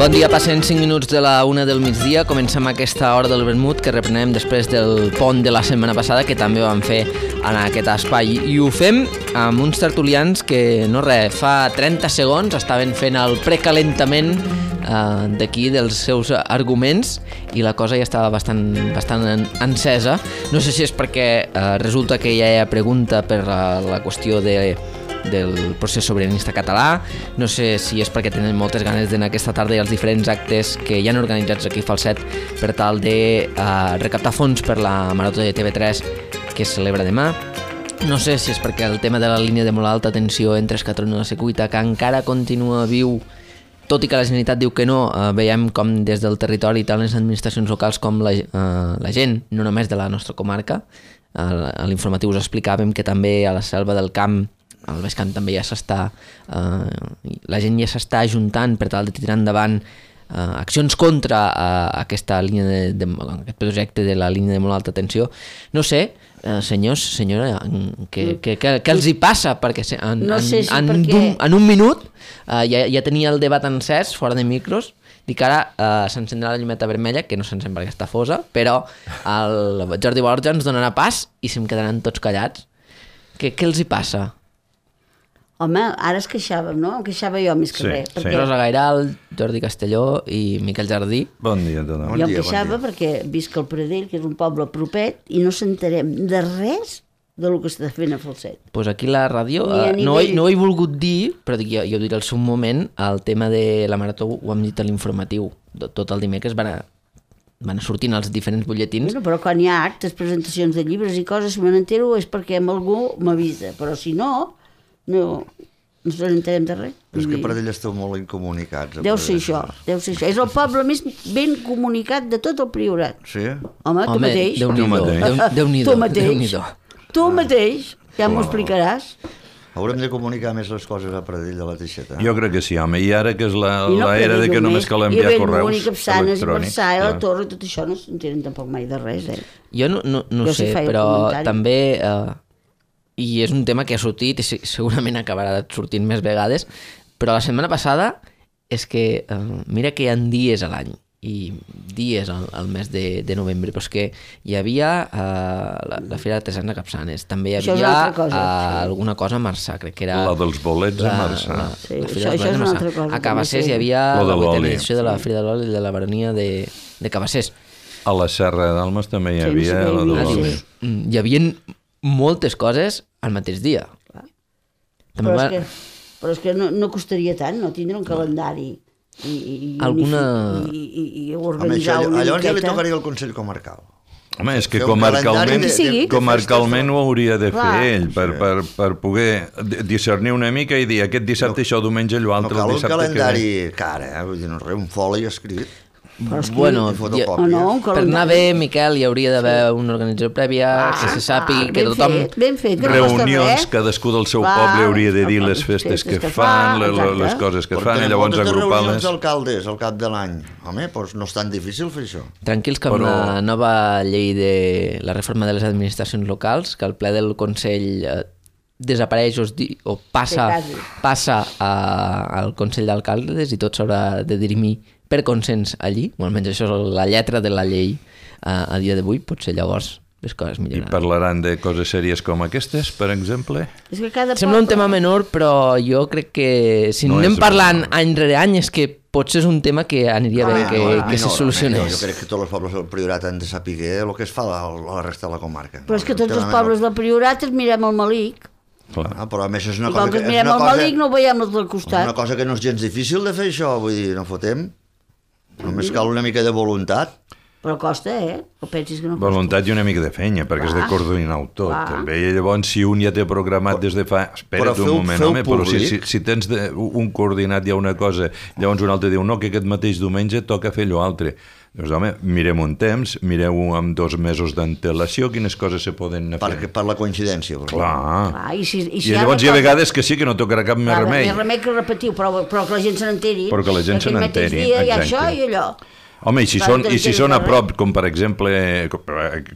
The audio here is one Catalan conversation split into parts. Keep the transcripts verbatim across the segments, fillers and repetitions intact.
Bon dia, passen cinc minuts de la una del migdia. Comencem aquesta hora del vermut que reprenem després del pont de la setmana passada, que també vam fer en aquest espai. I ho fem amb uns tertulians que, no res, fa trenta segons estaven fent el precalentament eh, d'aquí dels seus arguments i la cosa ja estava bastant, bastant encesa. No sé si és perquè eh, resulta que ja hi ha pregunta per la, la qüestió de del procés sobiranista català, no sé si és perquè tenen moltes ganes d'anar aquesta tarda als diferents actes que hi han organitzats aquí a Falset per tal de uh, recaptar fons per la Marató de T V tres que es celebra demà. No sé si és perquè el tema de la línia de molt alta tensió entre Escatrón i la Secuita, que encara continua viu, tot i que la Generalitat diu que no, uh, veiem com des del territori, tant les administracions locals com la, uh, la gent, no només de la nostra comarca. Uh, a l'informatiu us explicàvem que també a la Selva del Camp, al Baix Camp també ja s'està, eh, la gent ja s'està ajuntant per tal de tirar endavant eh, accions contra eh, aquesta línia de, de, aquest projecte de la línia de molt alta tensió. No sé, eh, senyors, senyora, què, què, què, què els hi passa? Perquè en, no sé si en, en, perquè... un, en un minut eh, ja, ja tenia el debat encès, fora de micros. Dic que ara eh, s'encendrà la llumeta vermella, que no s'encén perquè està fosa, però el Jordi Borja ens donarà pas i se'm quedaran tots callats. Què, què els hi passa? Home, ara es queixàvem, no? Em queixava jo més que sí, res. Perquè... sí. Rosa Gairal, Jordi Castelló i Miquel Jardí. Bon dia a tothom. Jo em queixava bon perquè visc al Pradell, que és un poble propet, i no s'enterem de res del que està fent a Falset. Doncs pues aquí la ràdio, uh, no, he, no ho he volgut dir, però dic, jo, jo ho diré al seu moment, el tema de la Marató ho hem dit a l'informatiu. Tot el dimecres van a, van a sortint els diferents butlletins. Bueno, però quan hi ha actes, presentacions de llibres i coses, si me n'entero és perquè amb algú m'avisa, però si no... No, no se n'entenem de res. És que per ell esteu molt incomunicats. Deu ser això, deu ser això. És el poble més ben comunicat de tot el Priorat. Sí? Home, tu Home, mateix. Déu-n'hi-do. Déu-n'hi-do. Tu mateix. Tu mateix. Ja m'ho explicaràs. Haurem de comunicar més les coses a Pradell de la Teixeta. Jo crec que sí, home. I ara que és la, no la era de que només cal enviar correus electrònics. I Capçanes, i Marçà, i la clar. Torre, tot això no s'entenen tampoc mai de res, eh? Jo no, no, no Jo sé, sí però comentari. també... Eh, i és un tema que ha sortit i segurament acabarà sortint més vegades, però la setmana passada és que eh, mira que hi ha dies a l'any i dies al, al mes de, de novembre, però és que hi havia eh, la, la Fira d'Artesans de Capçanes, també hi Això és havia una altra cosa, eh, sí. alguna cosa a Marçà, crec que era... La dels bolets a la- Marçà. la- Sí, la Fira això- dels això és bolets una a altra Marçà. cosa, A Cabassers també, sí. hi havia Lo de la vuitena l'oli. edició de la Fira de l'Oli de la baronia de, de Cabassers. A la Serra d'Almes també hi Sí, havia sí, la sí, de sí. l'oli. Mm, Hi havia moltes coses al mateix dia. També Però va... és que, però és que no, no costaria tant, no? Tindre un calendari i, i, i, Alguna- i, i, i Home, organitzar això, una llavors ja li miqueta. tocaria al Consell Comarcal. Home, és que Fer un comarcalment, calendari de- de- de- de comarcalment ho hauria de fer Clar. ell per, per, per poder discernir una mica i dir aquest dissabte això, diumenge allò No altre, cal el un dissabte calendari car, eh? Vull dir, no res, un foli escrit. Però és que... Bueno, I fotocòpies. o no, un per anar calendari. bé, Miquel, hi hauria d'haver una organització prèvia, Ah, que se sàpiga, ah, que ben tothom... fet, ben fet, que no costa reunions, res. cadascú del seu Clar, poble hauria de dir les les festes festes que que fan, fa, le- le- les exacte. coses que Però fan, i tenen llavors moltes reunions agrupar-les. d'alcaldes al cap de l'any. Home, doncs no és tan difícil fer això. Tranquils que amb Però- la nova llei de la reforma de les administracions locals, que el ple del Consell eh, desapareix o, es di, o passa, Que quasi. passa a, al Consell d'Alcaldes i tot s'haurà de dirimir per consens allí, o almenys això és la lletra de la llei eh, a dia d'avui, potser llavors les coses I milloraran. parlaran de coses sèries com aquestes, per exemple? És que cada Sembla un poble- tema menor, però jo crec que si No anem és parlant menor. any rere any és que potser és un tema que aniria bé Ah, que, no, que se no, solucionés. Jo crec que tots els pobles del Priorat han de saber el que es fa a la resta de la comarca. Però és que tots Un els tema pobles del Priorat els mirem al Malic. Clar. menor. Ah, però a més és una I cosa com que que... els és mirem una al cosa- Malic no ho veiem els del és costat. una cosa que no és gens difícil de fer això, vull dir, no fotem. Només cal una mica de voluntat. Però costa, eh? O pensis que no costa? Voluntat i una mica de feina, perquè has de Clar. coordinar-ho tot. Clar. També. I llavors, si un ja té programat des de fa... Espera't feu- un moment, feu home, però si, si, públic. si tens de, un coordinat ja una cosa, llavors un altre diu, no, que aquest mateix diumenge toca fer allò altre. Doncs, home, mirem un temps, mireu amb dos mesos d'antelació quines coses se poden anar Per, fent. per la coincidència. Per Clar. Clar, i, si, i, I si llavors hi ha una cosa- vegades que sí que no tocarà cap més Clar, remei. Més remei que repetiu, però, però que la gent se n'enteri. Però que la gent se Aquell mateix n'enteri, dia hi ha exacte. això i allò. Home, i si Va, són, doncs i si tens són a res. prop, com per exemple, com,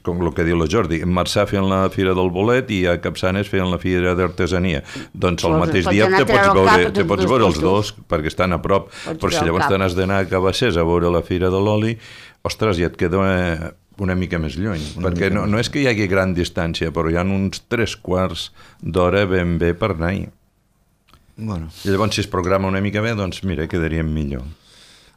com el que diu la Jordi, en Marçà feien la Fira del Bolet i a Capçanes feien la Fira d'Artesania. Doncs el Doncs mateix pots dia anar a te pots treure el veure, cap a te tots pots dos veure els puestos. dos perquè estan a prop. Pots Però si treure el llavors cap. te n'has d'anar a Cabassers a veure la Fira de l'Oli, ostres, ja et queda una mica més lluny. Una perquè no, no és que hi hagi gran distància, però hi ha uns tres quarts d'hora ben bé per anar-hi. Bueno. I llavors, si es programa una mica bé, doncs mira, quedaríem millor.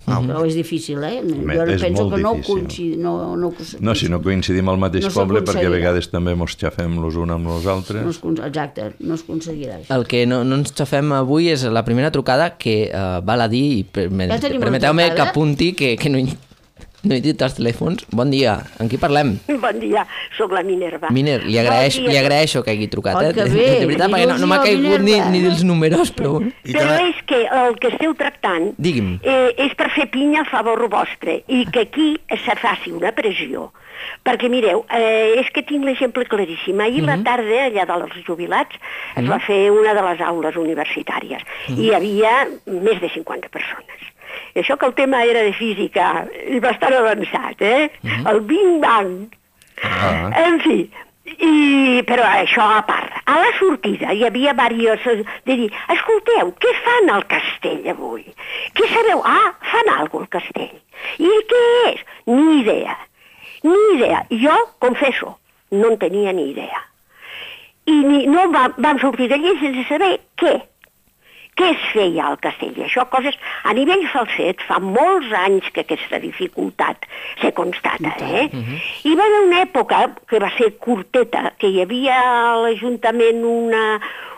Ah, però és difícil, eh? Home, jo no és penso molt que no difícil. coincidi, no, no, No, si no coincidim al mateix No poble, perquè a s'aconseguirà. vegades també mos xafem los uns amb els altres. no es, con- exacte, no es aconseguirà això. El que no, no ens xafem avui és la primera trucada que uh, val a dir, i perme- Ja tenim una permeteu-me que trucada? apunti que, que no, he, no he dit els telèfons. Bon dia, amb qui parlem? Bon dia, sóc la Minerva. Miner, li, agraeix, Bon dia. li agraeixo que hagi trucat, Oh, eh? que De, bé, de veritat, perquè no, no m'ha il·lusió, caigut ni, Minerva. ni dels números, però... I Però també- és que el que esteu tractant Digui'm. eh, és per fer pinya a favor vostre i que aquí se faci una pressió. Perquè mireu, eh, és que tinc l'exemple claríssim. Ahir Mhm. a la tarda, allà dels jubilats, es va fer una de les aules universitàries i hi havia més de cinquanta persones. I això que el tema era de física i bastant avançat, eh? El Big Bang. Ah. En fi, i, però això a part. A la sortida hi havia diversos de dir, escolteu, què fan al castell avui? Què sabeu? Ah, fan alguna cosa al castell. I què és? Ni idea. Ni idea. Jo, confesso, no en tenia ni idea. I ni, no va, vam sortir d'allí sense saber què. Què es feia al castell? I això, coses... A nivell falset, fa molts anys que aquesta dificultat se constata, eh? Hi va haver una època, que va ser curteta, que hi havia a l'Ajuntament una,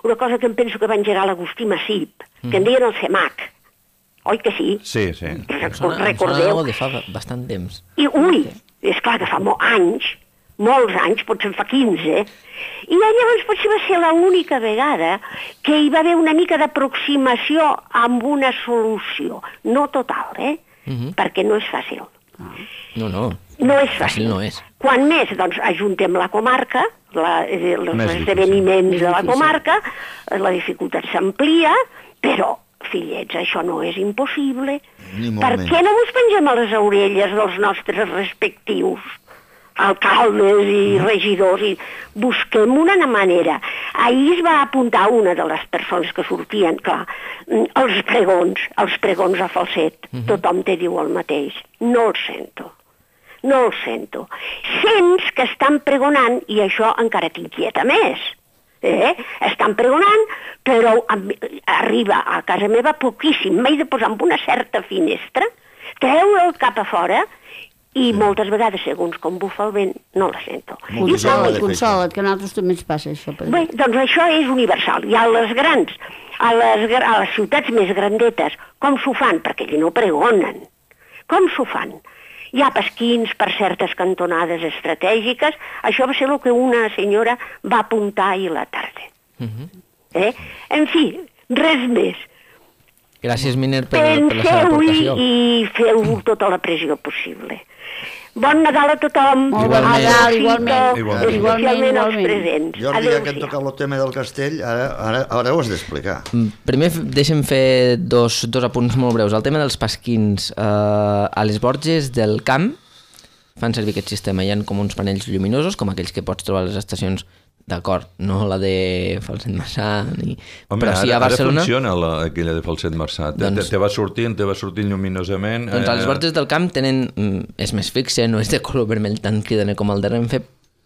una cosa que em penso que va engegar l'Agustí Massip, que en deien el CEMAC. Oi que sí? Sí, sí. Em sona, em sona Recordeu? algo de fa bastant temps. I, ui, és clar que fa molts anys, molts anys, potser en fa quinze, i llavors potser va ser l'única vegada que hi va haver una mica d'aproximació amb una solució. No total, eh? Perquè no és fàcil. No, no. No és Fàcil fàcil. no és. Quan més, doncs, ajuntem la comarca, la, eh, els Més esdeveniments difícil. de la Més difícil. comarca, eh, la dificultat s'amplia, però, fillets, això no és impossible. Ni molt Per menys. què no us pengem a les orelles dels nostres respectius alcaldes i regidors i busquem una manera. Ahir es va apuntar una de les persones que sortien, clar, mm, els pregons, els pregons a falset, tothom te diu el mateix. No el sento, no el sento. Sents que estan pregonant i això encara t'inquieta més. Eh? Estan pregonant, però amb- arriba a casa meva poquíssim. M'he de posar en una certa finestra, treure el cap a fora i moltes vegades, segons com bufa el vent, no la sento. I Molt Consola't, de fer consola't, que a nosaltres també ens passa això. Per Bé, doncs això és universal. I a les grans, a les, gra- a les ciutats més grandetes, com s'ho fan? Perquè allí no pregonen. Com s'ho fan? Hi ha pesquins per certes cantonades estratègiques. Això va ser el que una senyora va apuntar ahir a la tarda. eh? En fi, res més. Gràcies, Miner, per, per la seva Penseu-hi aportació. i feu tota la pressió possible. Bon Nadal a tothom. Molt bon Nadal, Adéu, igualment. Fito, Igualment. especialment als Igualment. presents. Jordi, ja que hem Adéu-siau. tocat el tema del castell, ara, ara, ara ho has d'explicar. Mm, Primer f- deixa'm fer dos, dos apunts molt breus. El tema dels pasquins. Eh, a les Borges del Camp fan servir aquest sistema. Hi ha com uns panells lluminosos, com aquells que pots trobar a les estacions, d'acord, no la de Falset Massà, ni... Home, però sí ara, a Barcelona... ara funciona la, aquella de Falset Massà. Te, Doncs- doncs, te va sortint, te va sortint lluminosament. Doncs a les Borges del Camp tenen... mm, És més fixe, no és de color vermell tan cridaner com el de Renfe,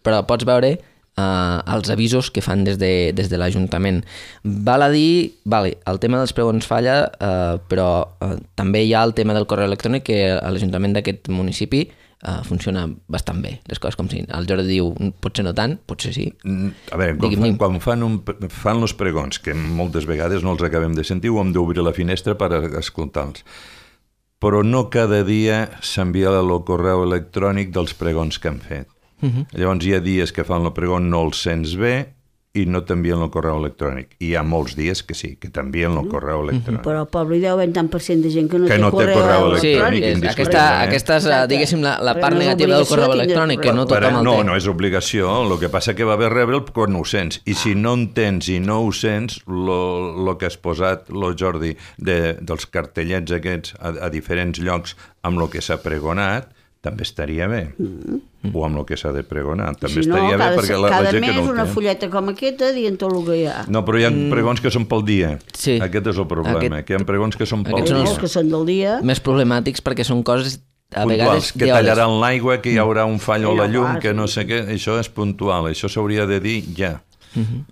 però pots veure uh, els avisos que fan des de, des de l'Ajuntament. Val a dir, vale, el tema dels pregons falla, uh, però uh, també hi ha el tema del correu electrònic que a l'Ajuntament d'aquest municipi uh, funciona bastant bé. Les coses com si el Jordi diu, potser no tant, potser sí. Mm, A veure, quan, Digui'm. fan, quan fan, un, fan els pregons, que moltes vegades no els acabem de sentir, ho hem d'obrir la finestra per a escoltar-los. Però no cada dia s'envia el correu electrònic dels pregons que han fet. Uh -huh. Llavors hi ha dies que fan el pregon, no els sents bé, i no t'envien el correu electrònic. I hi ha molts dies que sí, que t'envien el correu electrònic. Però al poble hi deu haver tant per cent de gent que no Que té no té correu correu Sí, electrònic. és, indiscutible, aquesta, eh? aquesta és, Exacte. diguéssim, la, la Però part no és negativa del obligació correu tindre electrònic, que no correu. tothom el no, té. no és obligació, el que passa que va haver rebre'l quan ho sents, i si no en tens i no ho sents, el que has posat, lo Jordi, de, dels cartellets aquests a, a diferents llocs amb el que s'ha pregonat, també estaria bé. Mm. O amb el que s'ha de pregonar, també Si no, estaria cada, bé, perquè la, la cada gent que mes no ho una té. fulleta com aquesta dient tot el que hi ha. No, però hi ha pregons que són pel dia. Sí. Aquest és el problema, Aquest- que hi ha pregons que són pel aquests Hi ha són dia. molts que són del dia. Més problemàtics perquè són coses a Puntuals, vegades que d'hores. tallaran l'aigua, que hi haurà un fall o Sí, la no, llum, clar, que sí. no sé què, això és puntual, això s'hauria de dir ja.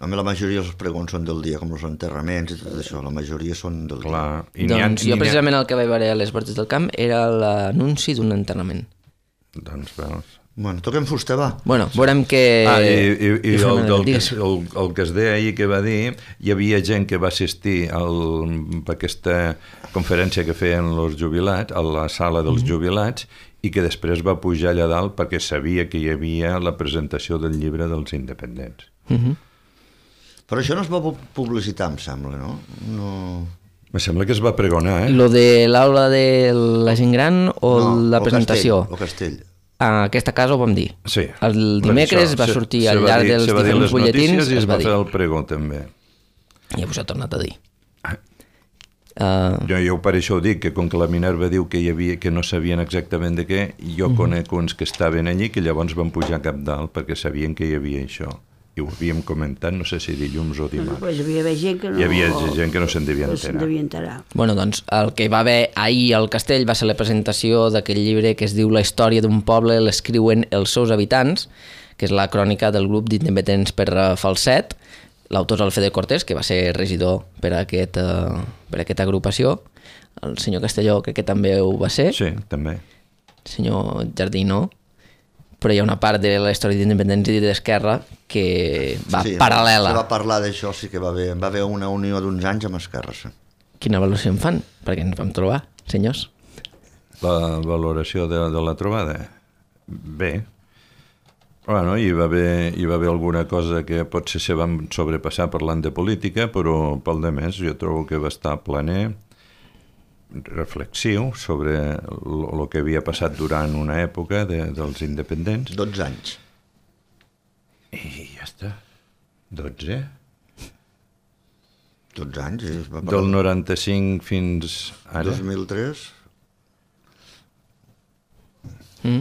A mi la majoria dels pregons són del dia, com els enterraments i tot això, la majoria són del dia. Clar. I n'hi ha- Doncs n'hi jo ha- precisament el que vaig veure a les Borges del Camp era l'anunci d'un enterrament. Doncs veus. Bueno, toquem fusta, va. Bueno, veurem que... Ah, i, i, i i fem el, una- el, que, digues. el, el que es deia ahir que va dir, hi havia gent que va assistir al, a aquesta conferència que feien els jubilats, a la sala dels Mhm. jubilats, i que després va pujar allà dalt perquè sabia que hi havia la presentació del llibre dels independents. Mhm. Però això no es va pu- publicitar, em sembla, no? No... Me sembla que es va pregonar, eh? Lo de l'aula de la gent gran o no, la o presentació? Castell, o Castell. En aquesta casa ho vam dir. Sí. El Per dimecres això, va se- sortir se al va llarg dir- dels se va dir diferents les butlletins, notícies i es es va va dir. fer el pregó també. I us ho ha tornat a dir. Ah. Uh, Jo, jo per això ho dic, que com que la Minerva diu que hi havia que no sabien exactament de què, jo Mhm. conec uns que estaven allí que llavors van pujar cap dalt perquè sabien que hi havia això. I ho havíem comentat, no sé si dilluns o dimarts. Pues hi havia d'haver gent que no... Hi havia gent que no se'n devia no se'n enterar. devia enterar. bueno, doncs el que va haver ahir al castell va ser la presentació d'aquell llibre que es diu La història d'un poble l'escriuen els seus habitants, que és la crònica del grup d'independents per eh, Falset. L'autor és Alfredo Cortés, que va ser regidor per a, aquest, uh, per a aquesta agrupació. El senyor Castelló crec que també ho va ser. Sí, també. El senyor Jardí no. Però hi ha una part de la història d'independents i d'Esquerra que va sí, paral·lela. Se va parlar d'això, sí que va haver, va haver una unió d'uns anys amb Esquerra. Sí. Quina valoració en fan? Perquè ens vam trobar, senyors. La valoració de, de la trobada? Bé. Bueno, hi va, haver, hi va haver alguna cosa que potser se van sobrepassar parlant de política, però pel de més jo trobo que va estar planer, reflexiu sobre el que havia passat durant una època de, dels independents. dotze anys. I ja està. dotze? dotze anys, sí. Es va Del parlar. noranta-cinc fins ara. dos mil tres. Mm.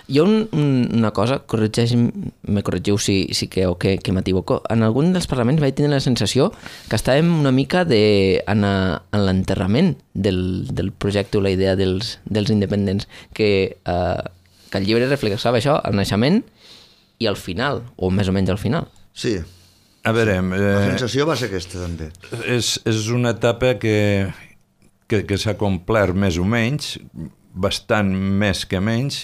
Hi ha un, un, una cosa, corregeix, me corregiu si, si creu que, que m'equivoco. En algun dels parlaments vaig tenir la sensació que estàvem una mica de, en, a, en l'enterrament del, del projecte o la idea dels, dels independents, que, eh, que el llibre reflexava això, el naixement i el final, o més o menys al final. Sí, A veure, la eh, sensació va ser aquesta, també. és, és una etapa que, que, que s'ha complert més o menys, bastant més que menys.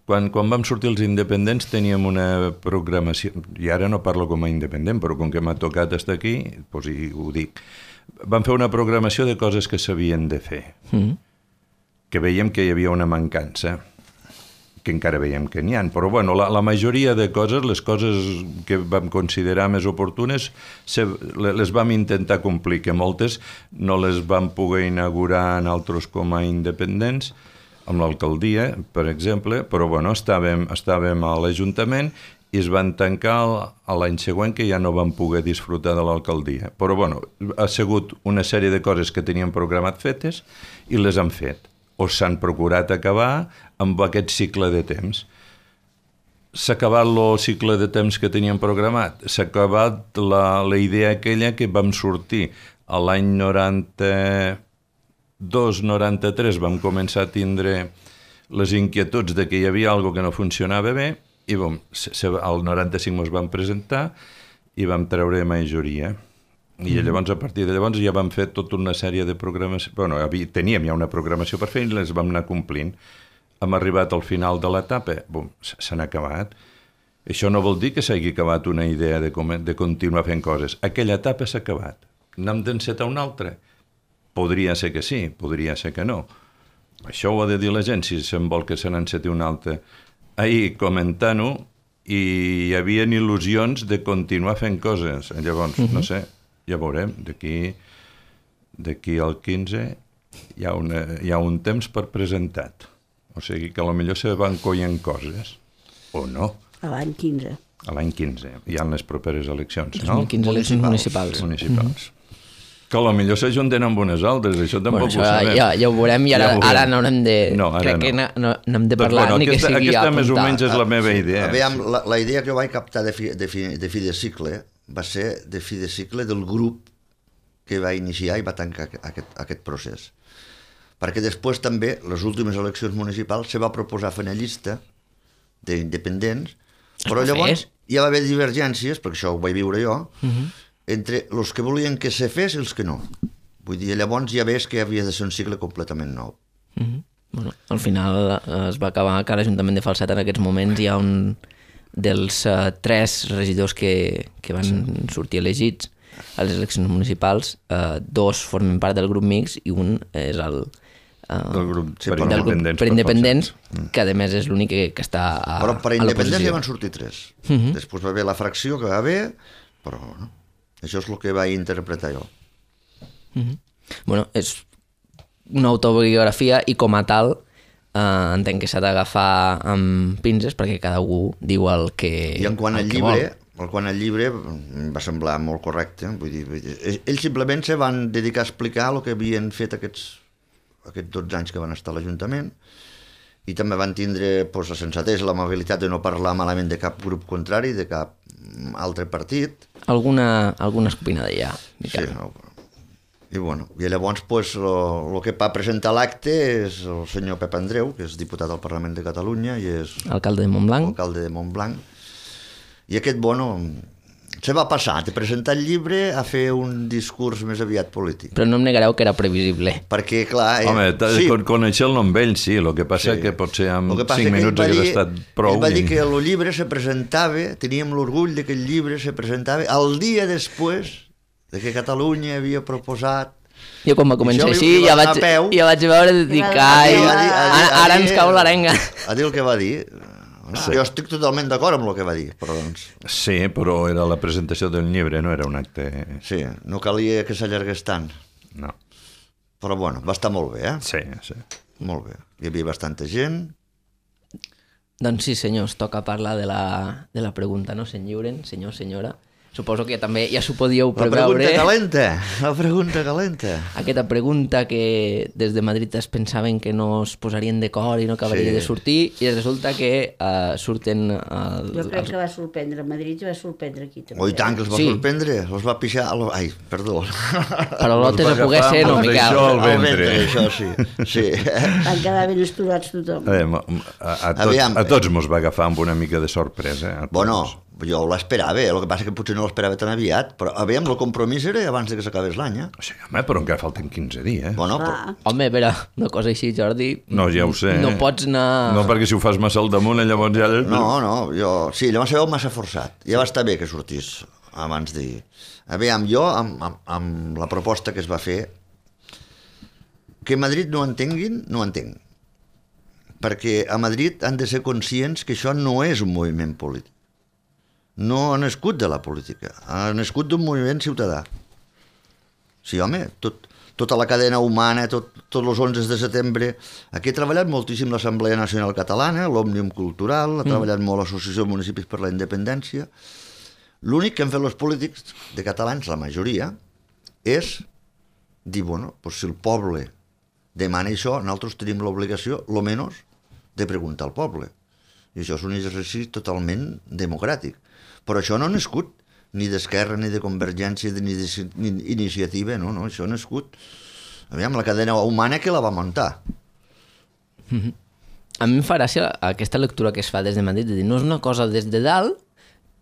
Quan, quan vam sortir els independents teníem una programació, i ara no parlo com a independent, però com que m'ha tocat estar aquí, doncs hi, ho dic. Vam fer una programació de coses que s'havien de fer, Mm. que veiem que hi havia una mancança, que encara veiem que n'hi ha, però bueno, la, la majoria de coses, les coses que vam considerar més oportunes, se, les vam intentar complir, que moltes no les vam poder inaugurar en altres com a independents, amb l'alcaldia, per exemple, però bueno, estàvem, estàvem a l'Ajuntament i es van tancar a l'any següent que ja no vam poder disfrutar de l'alcaldia. Però bueno, ha sigut una sèrie de coses que teníem programat fetes i les han fet, o s'han procurat acabar amb aquest cicle de temps. S'ha acabat el cicle de temps que teníem programat, s'ha acabat la, la idea aquella que vam sortir a l'any noranta-dos noranta-tres, vam començar a tindre les inquietuds de que hi havia alguna que no funcionava bé i bom, se, se, al noranta-cinc ens vam presentar i vam treure majoria. I llavors, a partir de llavors, ja vam fer tota una sèrie de programació. Bueno, havia, teníem ja una programació per fer i les vam anar complint. Hem arribat al final de l'etapa, bom, s'han acabat. Això no vol dir que s'hagi acabat una idea de, com, de continuar fent coses. Aquella etapa s'ha acabat. N'hem d'encetar una altra? Podria ser que sí, podria ser que no. Això ho ha de dir la gent, si se'n vol que se n'enceti una altra. Ahir, comentant-ho, i hi havia il·lusions de continuar fent coses. Llavors, uh-huh. no sé, ja veurem, d'aquí d'aquí al quinze hi ha, una, hi ha un temps per presentat. O sigui que potser se van coient coses, o no. A l'any quinze. A l'any quinze. Hi ha les properes eleccions, dos no? mil quinze eleccions municipals. Municipals. Mm-hmm. Que potser s'ajunten amb unes altres, això tampoc bueno, això ho sabem. Ja, ja ho veurem i ara, ja ara no haurem de... No, ara crec no. que no, no, no hem de parlar doncs, bueno, ni aquesta, que sigui aquesta apuntar. més o menys és la meva idea. Aviam, la, la idea que jo vaig captar de fi de, fi, de fi de cicle va ser de fi de cicle del grup que va iniciar i va tancar aquest, aquest procés. Perquè després també, les últimes eleccions municipals, se va proposar fer una llista d'independents, però llavors hi va haver divergències, perquè això ho vaig viure jo, uh-huh. entre els que volien que se fes i els que no. Vull dir, llavors ja ves que havia de ser un cicle completament nou. Uh-huh. Bueno, al final es va acabar que a l'Ajuntament de Falset en aquests moments hi ha un dels uh, tres regidors que, que van sí. sortir elegits a les eleccions municipals, uh, dos formen part del grup mix i un és el uh, del grup sí, per del independents, grup per independents mm. que a més és l'únic que, que està a, però per a independents l'oposició. ja van sortir tres. Uh-huh. Després va haver la fracció que va haver, però no? Això és el que vaig interpretar jo. Uh-huh. Bueno, és una autobiografia i com a tal eh, entenc que s'ha d'agafar amb pinces perquè cada un diu el que I en quant el al que llibre, vol. el quant al llibre em va semblar molt correcte. Vull dir, vull dir, ells simplement se van dedicar a explicar el que havien fet aquests, aquests dotze anys que van estar a l'Ajuntament i també van tindre pues, la sensatesa, l'amabilitat de no parlar malament de cap grup contrari, de cap altre partit. Alguna, alguna escopinada ja. Sí, no, i bueno, i llavors pues, el que va presentar l'acte és el senyor Pep Andreu, que és diputat al Parlament de Catalunya i és alcalde de Montblanc. alcalde de Montblanc. I aquest, bueno, se va passar de presentar el llibre a fer un discurs més aviat polític. Però no em negareu que era previsible. Perquè, clar... Eh, Home, sí, conèixer-lo amb ell, sí, el que passa sí. que potser amb cinc minuts hagués estat prou. Ell va dir que el llibre se presentava, teníem l'orgull de que el llibre se presentava el dia després de que Catalunya havia proposat... Jo quan va començar li, així li ja vaig, peu, ja vaig veure de dir que ai, ara, ara ens cau l'arenga. A dir el que va dir. Sí. Jo estic totalment d'acord amb el que va dir, però doncs... Sí, però era la presentació del llibre, no era un acte... Sí, no calia que s'allargués tant. No. Però bueno, va estar molt bé, eh? Sí, sí. Molt bé. Hi havia bastanta gent. Doncs sí, senyors, toca parlar de la, de la pregunta, no se'n lliuren, senyor, senyora. Suposo que també ja s'ho podíeu preveure. La pregunta calenta, la pregunta calenta. Aquesta pregunta que des de Madrid es pensaven que no es posarien d'acord i no acabaria sí. de sortir, i resulta que uh, surten... Uh, jo crec els... que va sorprendre a Madrid i va sorprendre aquí també. Oh, i tant, que els va sí. sorprendre, els va pixar... Ai, perdó. Però l'altre se pogués ser, no, Miquel? Això al ventre. ventre. Això sí. sí. Van quedar ben esturats tothom. A, a, a, tots, a tots mos va agafar amb una mica de sorpresa. Bueno, jo l'esperava, el que passa que potser no l'esperava tan aviat, però aviam, el compromís era abans de que s'acabés l'any, eh? Sí, home, però encara falten quinze dies. Bueno, però... Home, a veure, una cosa així, Jordi... No, ja ho sé. No pots anar... No, perquè si ho fas massa al damunt, llavors ja... No, no, jo... Sí, llavors se veu massa forçat. Ja va estar bé que sortís abans d'ahir. Aviam, jo, amb, amb, amb la proposta que es va fer, que Madrid no entenguin, no entenc. Perquè a Madrid han de ser conscients que això no és un moviment polític. No ha nascut de la política, ha nascut d'un moviment ciutadà. Sí, home, tot, tota la cadena humana, tot, tots els onze de setembre... Aquí ha treballat moltíssim l'Assemblea Nacional Catalana, l'Òmnium Cultural, ha treballat mm. molt l'Associació de Municipis per la Independència. L'únic que han fet els polítics de catalans, la majoria, és dir, bueno, pues si el poble demana això, nosaltres tenim l'obligació, lo menys, de preguntar al poble. I això és un exercici totalment democràtic. Però això no ha nascut ni d'Esquerra, ni de Convergència, ni d'iniciativa, no, no, això ha nascut... Aviam, la cadena humana que la va muntar. Mm-hmm. A mi em fa gràcia aquesta lectura que es fa des de Madrid, de dir, no és una cosa des de dalt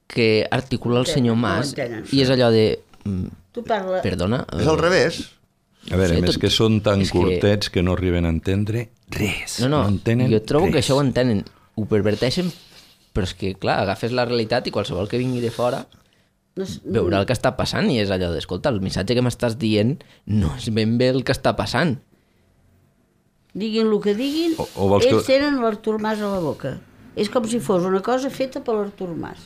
que articula el senyor Mas, i és allò de... Tu parla... Perdona... És al revés. A veure, sí, més tot... que són tan és curtets que... que no arriben a entendre res. No, no, no entenen jo trobo res. que això ho entenen, ho perverteixen, però és que, clar, agafes la realitat i qualsevol que vingui de fora no és... veurà el que està passant i és allò d'escolta, el missatge que m'estàs dient no és ben bé el que està passant. Diguin el que diguin, o, o ells que... tenen l'Artur Mas a la boca. és com si fos una cosa feta per l'Artur Mas.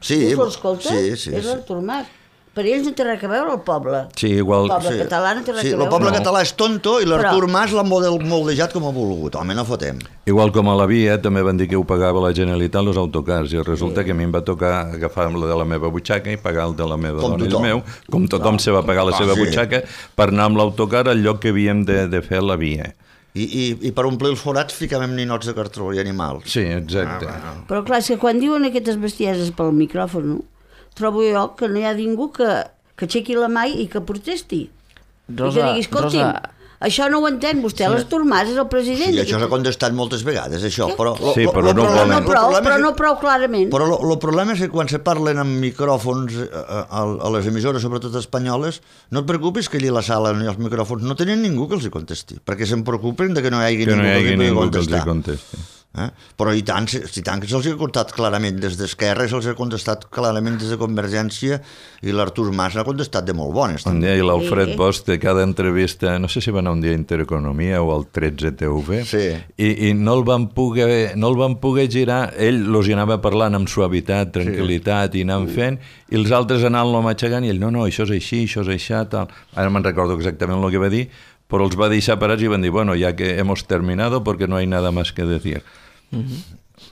Sí, Tu l'escoltes? sí, sí, és sí. l'Artur Mas. Per ells no té res a veure el poble. Sí, igual... El poble Sí. català no té res Sí, a veure. el poble No. català és tonto i l'Artur Però- Mas l'ha model- moldejat com ha volgut. Home, no fotem. Igual com a la via, també van dir que ho pagava la Generalitat els autocars, i resulta que a mi em va tocar agafar el de la meva butxaca i pagar el de la meva Com dona i el tothom. meu, com tothom se va pagar la Ah, seva sí. butxaca, per anar amb l'autocar al lloc que havíem de, de fer la via. I, i, I per omplir els forats ficàvem ninots de cartró i animals. Sí, exacte. Ah, Però clar, és que quan diuen aquestes bestieses pel micròfon, trobo jo que no hi ha ningú que, que aixequi la mà i que protesti. Rosa, I que digui, escolti'm, Rosa, això no ho entén vostè, l'Artur Mas és el president. Sí, això s'ha contestat moltes vegades, això. Però, lo, Sí, lo, però lo no Però volen. no lo prou, problema però és no que- prou clarament. Però el problema és que quan se parlen amb micròfons a, a, a les emissores, sobretot espanyoles, no et preocupis que allí a la sala ni els micròfons no tenen ningú que els hi contesti, perquè se'n preocupen de que no hi hagi Que no ningú hi hagi que els hi ningú pugui que els hi contestar. contesti. Eh? Però i tant, si, si tant que se'ls ha contestat clarament des d'Esquerra, se'ls ha contestat clarament des de Convergència, i l'Artur Mas ha contestat de molt bones. Un també. dia i l'Alfred Sí. Bosch de cada entrevista, no sé si va anar un dia a Intereconomia o al tretze T V, Sí. i, i no el van poder, no el van poder girar, ell los hi anava parlant amb suavitat, tranquil·litat, sí. i anant fent, i els altres anant-lo matxacant, i ell, no, no, això és així, això és això, tal. Ara me'n recordo exactament el que va dir, però els va deixar parats i van dir, bueno, ya que hemos terminado porque no hay nada más que decir. Bueno,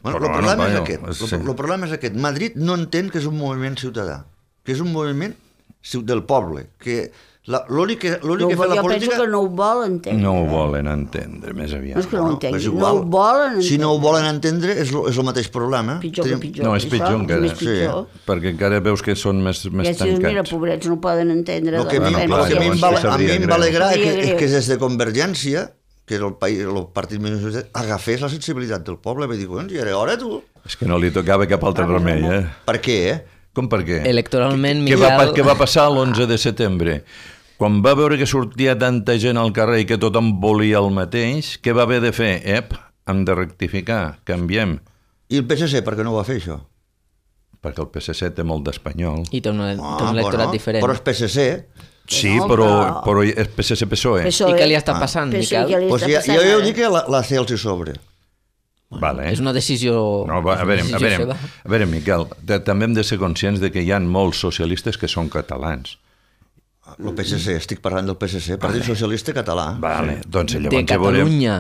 Però el bueno, problema és bueno, aquest. sí. El problema és aquest. Madrid no entén que és un moviment ciutadà, que és un moviment ciu- del poble, que la- l'únic que, l'únic No, que fa la jo política... penso que no ho volen entendre. No ho volen entendre, més aviat. No és que no ho és entenguin, no igual. ho volen entendre. Si no ho volen entendre, és, lo, és el mateix problema. Pitjor que Tenim- pitjor. No, és Això pitjor encara. És més pitjor. Perquè encara veus que són més, més I si dius, mira, tancats. pobrets, no poden entendre. El que, a de mi, la Bueno, el clar, que a mi em llavors va, se a mi sabria em va greu. alegrar és Sabria que, greu. que des de Convergència, que era el, país, el partit més... agafés la sensibilitat del poble. Vaig dir, doncs, ja era hora, tu. És que no li tocava cap altre remei, eh? Per què, eh? Com per què? Electoralment, Què va, pa- Miquel... què va passar l'onze de setembre? Quan va veure que sortia tanta gent al carrer i que tothom volia el mateix, què va haver de fer? Ep, hem de rectificar, canviem. I el P S C, per què no ho va fer, això? Perquè el P S C té molt d'espanyol. I té un, té Ah, un electorat bueno, diferent. Però és P S C. Sí, No, però, però- però és P S C-PSOE. P S O E. I què li està passant, Penso que Miquel? li Pues està ja, passant jo ja ho ara. dic que la, la C els hi sobre. Vale. És una decisió... No, va, a, veure, una a, decisió veure, seva. a veure, Miquel, de, també hem de ser conscients de que hi ha molts socialistes que són catalans. El P S C, estic parlant del P S C, Partit Socialista Català. Vale, doncs De llavors ja veurem... Catalunya.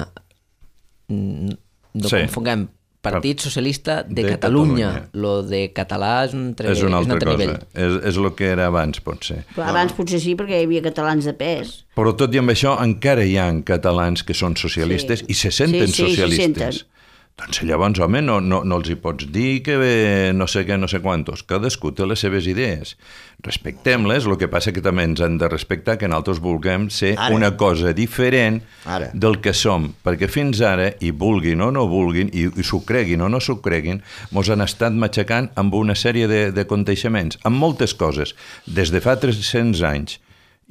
Mm, No Sí. confonguem. Partit Socialista de, De Catalunya. Catalunya. Lo de català és un altre, És una és un altra altre cosa. nivell. És, és el que era abans, potser. Però abans potser sí, perquè hi havia catalans de pes. Però tot i amb això, encara hi ha catalans que són socialistes Sí. i se senten Sí, sí, se socialistes. senten. Doncs llavors, home, no, no, no els hi pots dir que bé, no sé què, no sé quantos. Cadascú té les seves idees. Respectem-les, el que passa que també ens han de respectar que nosaltres vulguem ser Ara. una cosa diferent Ara. del que som, perquè fins ara, i vulguin o no vulguin, i, i s'ho creguin o no s'ho creguin, mos han estat matxacant amb una sèrie de, de conteixements, amb moltes coses, des de fa tres-cents anys.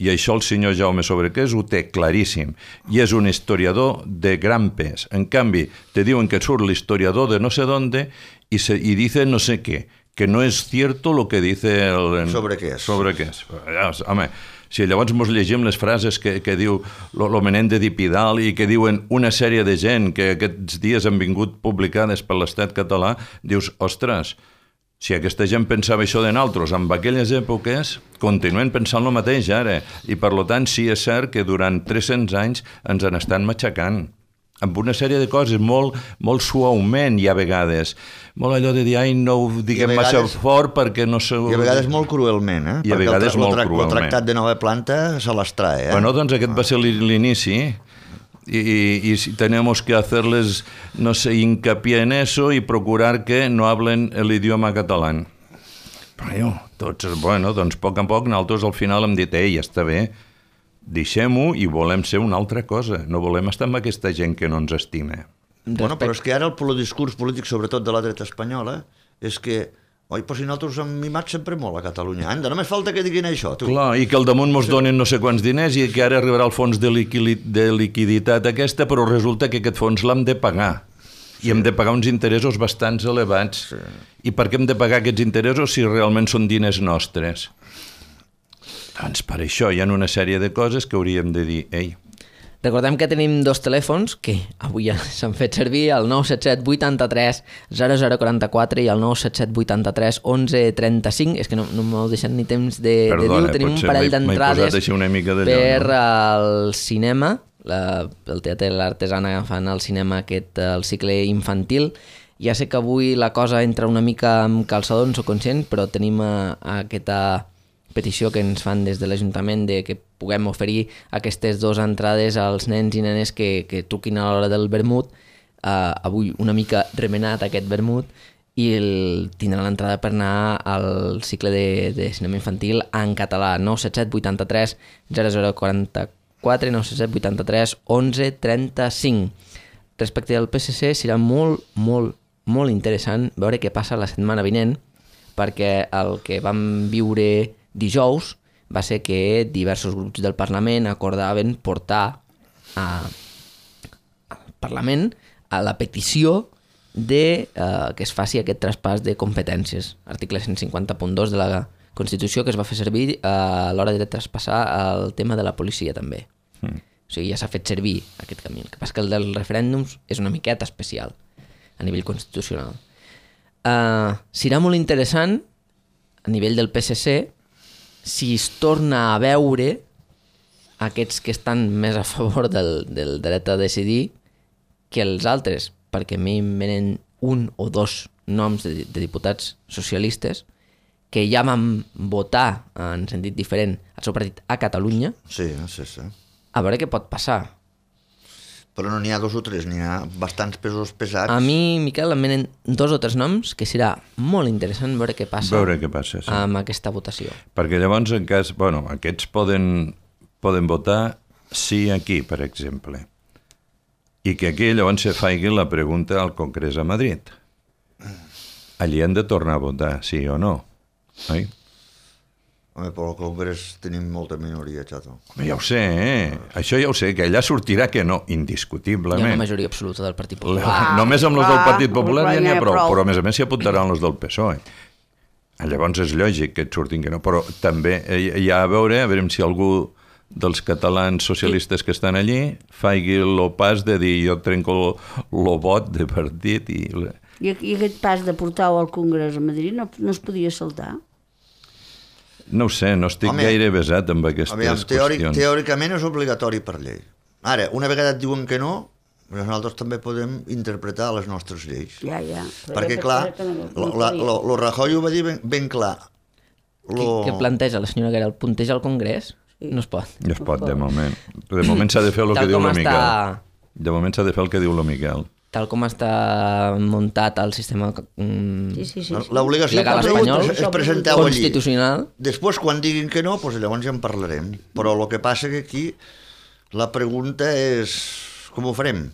I això el senyor Jaume Sobrequés ho té claríssim, i és un historiador de gran pes. En canvi, te diuen que surt l'historiador de no sé dónde i, se, i dice no sé què, que no és cierto lo que dice el... Sobrequés. Sobrequés. Home, si llavors mos llegim les frases que, que diu lo, lo Menende d'Ipidal i que diuen una sèrie de gent que aquests dies han vingut publicades per l'Estat català, dius, ostres, si aquesta gent pensava això de nosaltres en aquelles èpoques, continuen pensant el mateix ara. I per tant, sí és cert que durant tres-cents anys ens han estat matxacant amb una sèrie de coses molt, molt suaument i a vegades. Molt allò de dir, ai, no ho diguem vegades- massa fort perquè no se... I a vegades molt cruelment, eh? I a Perquè vegades el, tra- molt el, tra- cruelment. el tractat de nova planta se les trae, eh? Bueno, doncs aquest va ser l'in- l'inici. Y, y, y si tenemos que hacerles, no sé, hincapié en eso y procurar que no hablen el idioma catalán. Però jo, tots, bueno, doncs a poc a poc nosaltres al final hem dit, ei, ja està bé, deixem-ho i volem ser una altra cosa, no volem estar amb aquesta gent que no ens estima. Bueno, però és que ara el, el discurs polític, sobretot de la dreta espanyola, és que, oi, però si nosaltres hem mimat sempre molt a Catalunya. Anda, només falta que diguin això, tu. Clar, i que al damunt mos donen no sé quants diners i que ara arribarà el fons de, liquili de liquiditat aquesta, però resulta que aquest fons l'hem de pagar. I hem de pagar uns interessos bastants elevats. Sí. I per què hem de pagar aquests interessos si realment són diners nostres? Doncs per això hi ha una sèrie de coses que hauríem de dir, ei, Recordem que tenim dos telèfons que avui ja s'han fet servir, el nou set set vuitanta-tres zero zero quaranta-quatre i el nou set set vuitanta-tres onze trenta-cinc. És que no, no m'heu deixat ni temps de, Perdona, de dir. Tenim un parell d'entrades per al cinema, la, el Teatre de l'Artesana fan al cinema aquest el cicle infantil. Ja sé que avui la cosa entra una mica amb calçador, en soc conscient, però tenim a, a aquesta petició que ens fan des de l'Ajuntament de que puguem oferir aquestes dues entrades als nens i nenes que, que truquin a l'hora del vermut. Uh, avui una mica remenat aquest vermut i el, tindrà l'entrada per anar al cicle de, de cinema infantil en català. nou set set vuitanta-tres zero zero quaranta-quatre, nou set set vuitanta-tres onze trenta-cinc. Respecte al P S C serà molt, molt, molt interessant veure què passa la setmana vinent, perquè el que vam viure dijous va ser que diversos grups del Parlament acordaven portar a, al Parlament a la petició de eh, que es faci aquest traspàs de competències. Article cent cinquanta punt dos de la Constitució, que es va fer servir eh, a l'hora de traspassar el tema de la policia també. Mm. O sigui, ja s'ha fet servir aquest camí. El que passa que el dels referèndums és una miqueta especial a nivell constitucional. Uh, serà molt interessant a nivell del P S C si es torna a veure aquests que estan més a favor del, del dret a decidir que els altres, perquè a mi em venen un o dos noms de, de diputats socialistes que ja van votar en sentit diferent al seu partit a Catalunya. Sí, sí, sí. A veure què pot passar. Però no n'hi ha dos o tres, n'hi ha bastants pesos pesats. A mi, Miquel, em venen dos o tres noms que serà molt interessant veure què passa, veure què passa sí. amb aquesta votació. Perquè llavors, en cas, bueno, aquests poden, poden votar sí aquí, per exemple. I que aquí llavors se faci la pregunta al Congrés a Madrid. Allí han de tornar a votar, sí o no. Oi? Home, però al Congrés tenim molta minoria, xato. Ja ho sé, eh? Això ja ho sé, que allà sortirà que no, indiscutiblement. Hi ha una majoria absoluta del Partit Popular. Ah, Només amb els del Partit Popular ja n'hi ha prou, però a més a més s'hi apuntaran els del P S O E. Llavors és lògic que et surtin que no, però també hi ha a veure, a veure si algú dels catalans socialistes que estan allí faci el pas de dir jo trenco el vot de partit i... I, i aquest pas de portar-ho al Congrés a Madrid no, no es podia saltar? No ho sé, no estic Home, gaire besat amb aquestes aviam, teòric, qüestions. Teòricament és obligatori per llei. Ara, una vegada et diuen que no, nosaltres també podem interpretar les nostres lleis. Ja, ja. Perquè, clar, el Rajoy ho va dir ben, ben clar. Lo... Què planteja la senyora Guerra? El punteja al Congrés? Sí. No es pot. No es pot, de moment. De moment s'ha de fer el que diu el Miquel. Està... De moment s'ha de fer el que diu el Miquel. Tal com està muntat el sistema mm, sí, sí, sí, sí. L'obligació legal espanyol és presentar-ho allí. Constitucional. Després, quan diguin que no, doncs llavors ja en parlarem. Però el que passa que aquí la pregunta és com ho farem?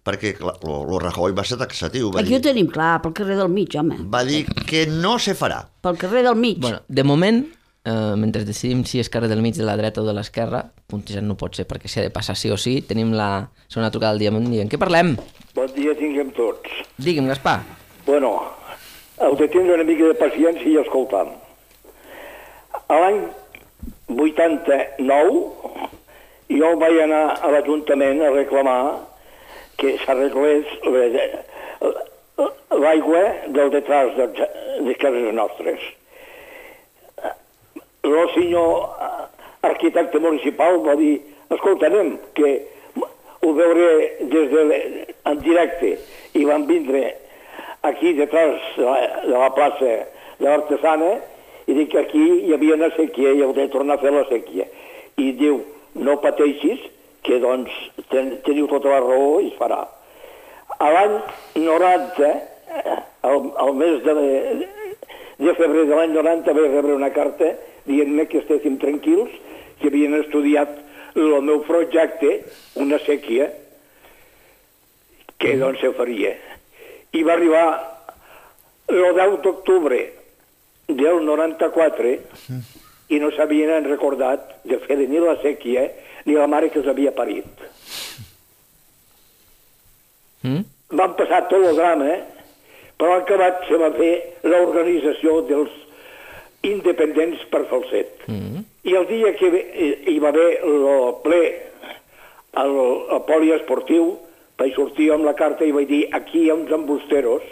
Perquè el Rajoy va ser taxatiu. Va aquí dir, ho tenim clar, pel carrer del mig, home. Va dir que no se farà. Pel carrer del mig. Bueno, de moment, eh, mentre decidim si és carrer del mig, de la dreta o de l'esquerra, puntejant no pot ser, perquè s'ha de passar sí o sí. Tenim la segona trucada del dia i dient, què parlem? Bon dia tinguem tots. Digue'm, Gaspar. Bueno, heu de tindre una mica de paciència i escoltar. A l'any vuitanta-nou jo vaig anar a l'Ajuntament a reclamar que s'arreglés l'aigua del detrás de, de cases nostres. El senyor arquitecte municipal va dir, escolta, anem, que ho veuré des de, en directe, i van vindre aquí detrás de la, de la plaça de l'Artesana i dic que aquí hi havia una sèquia i heu de tornar a fer la sèquia. I diu, no pateixis, que doncs ten, teniu tota la raó i es farà. A l'any noranta, al, al mes de, de febrer de l'any noranta, vaig rebre una carta dient-me que estéssim tranquils, que havien estudiat el meu projecte, una sèquia, que doncs se faria. I va arribar el deu d'octubre del noranta-quatre i no s'havien recordat de fer ni la sèquia ni la mare que els havia parit. Mm? Van passar tot el drama, però al acabat se va fer l'organització dels independents per Falset. Mm. I el dia que hi va haver el ple al, al poliesportiu, vaig sortir amb la carta i vaig dir aquí hi ha uns embusteros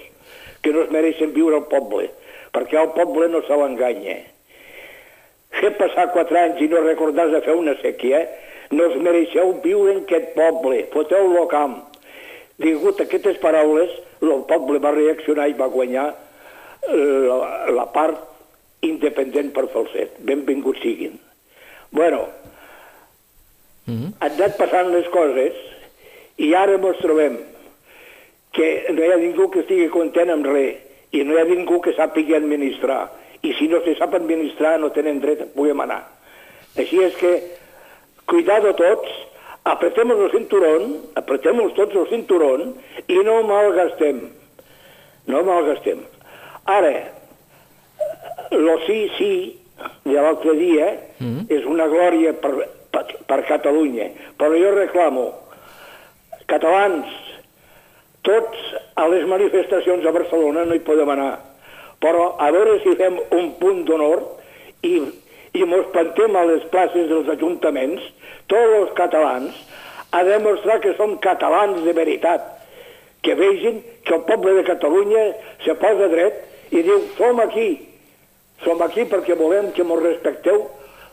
que no es mereixen viure al poble, perquè al poble no se l'enganya. Fer passar quatre anys i no recordar de fer una sèquia, no us mereixeu viure en aquest poble, foteu-lo a camp. Digut aquestes paraules, el poble va reaccionar i va guanyar la, la part independent per Falset. Benvinguts siguin. Bueno, mm-hmm. han anat passant les coses i ara ens trobem que no hi ha ningú que estigui content amb res i no hi ha ningú que sàpiga administrar. I si no se sap administrar no tenen dret a poder manar. Així és que, cuidado tots, apretemos el cinturón, apretemos tots el cinturón i no malgastem. No malgastem. Ara, lo sí, sí, de l'altre dia, mm. és una glòria per, per, per Catalunya. Però jo reclamo, catalans, tots a les manifestacions a Barcelona no hi podem anar. Però a veure si fem un punt d'honor i, i mos plantem a les places dels ajuntaments, tots els catalans, a demostrar que som catalans de veritat, que vegin que el poble de Catalunya se posa dret i diu, som aquí, som aquí perquè volem que mos respecteu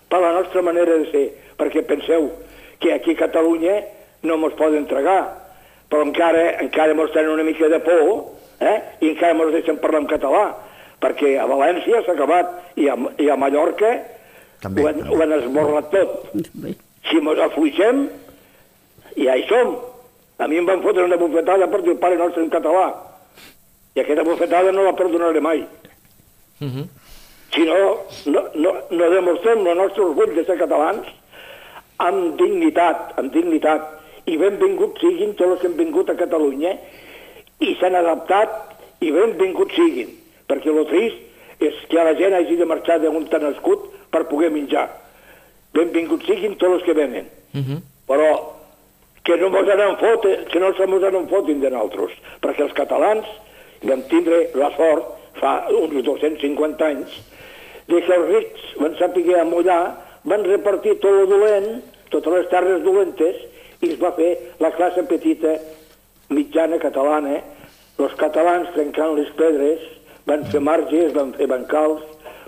per la nostra manera de ser, perquè penseu que aquí a Catalunya no mos poden tragar, però encara, encara mos tenen una mica de por, eh? I encara mos deixen parlar en català, perquè a València s'ha acabat i a, i a Mallorca també, ho, han, també. ho han esborrat tot. Si mos afluixem, ja hi som. A mi em van fotre una bufetada per dir el Pare Nostre en català. I aquesta bufetada no la perdonaré mai. Uh-huh. Si no, no, no, no demostrem el nostre orgull de ser catalans amb dignitat, amb dignitat. I benvinguts siguin tots els que han vingut a Catalunya i s'han adaptat i benvinguts siguin. Perquè el trist és que la gent hagi de marxar d'on t'ha nascut per poder menjar. Benvinguts siguin tots els que venen. Uh-huh. Però que no mos anem foten, que no se mos anem fotin de nosaltres, perquè els catalans vam tindre la sort, fa uns dos-cents cinquanta anys, de que els rics van saber amollar, van repartir tot el dolent, totes les terres dolentes, i es va fer la classe petita mitjana catalana. Els catalans trencant les pedres van fer marges, van fer bancals,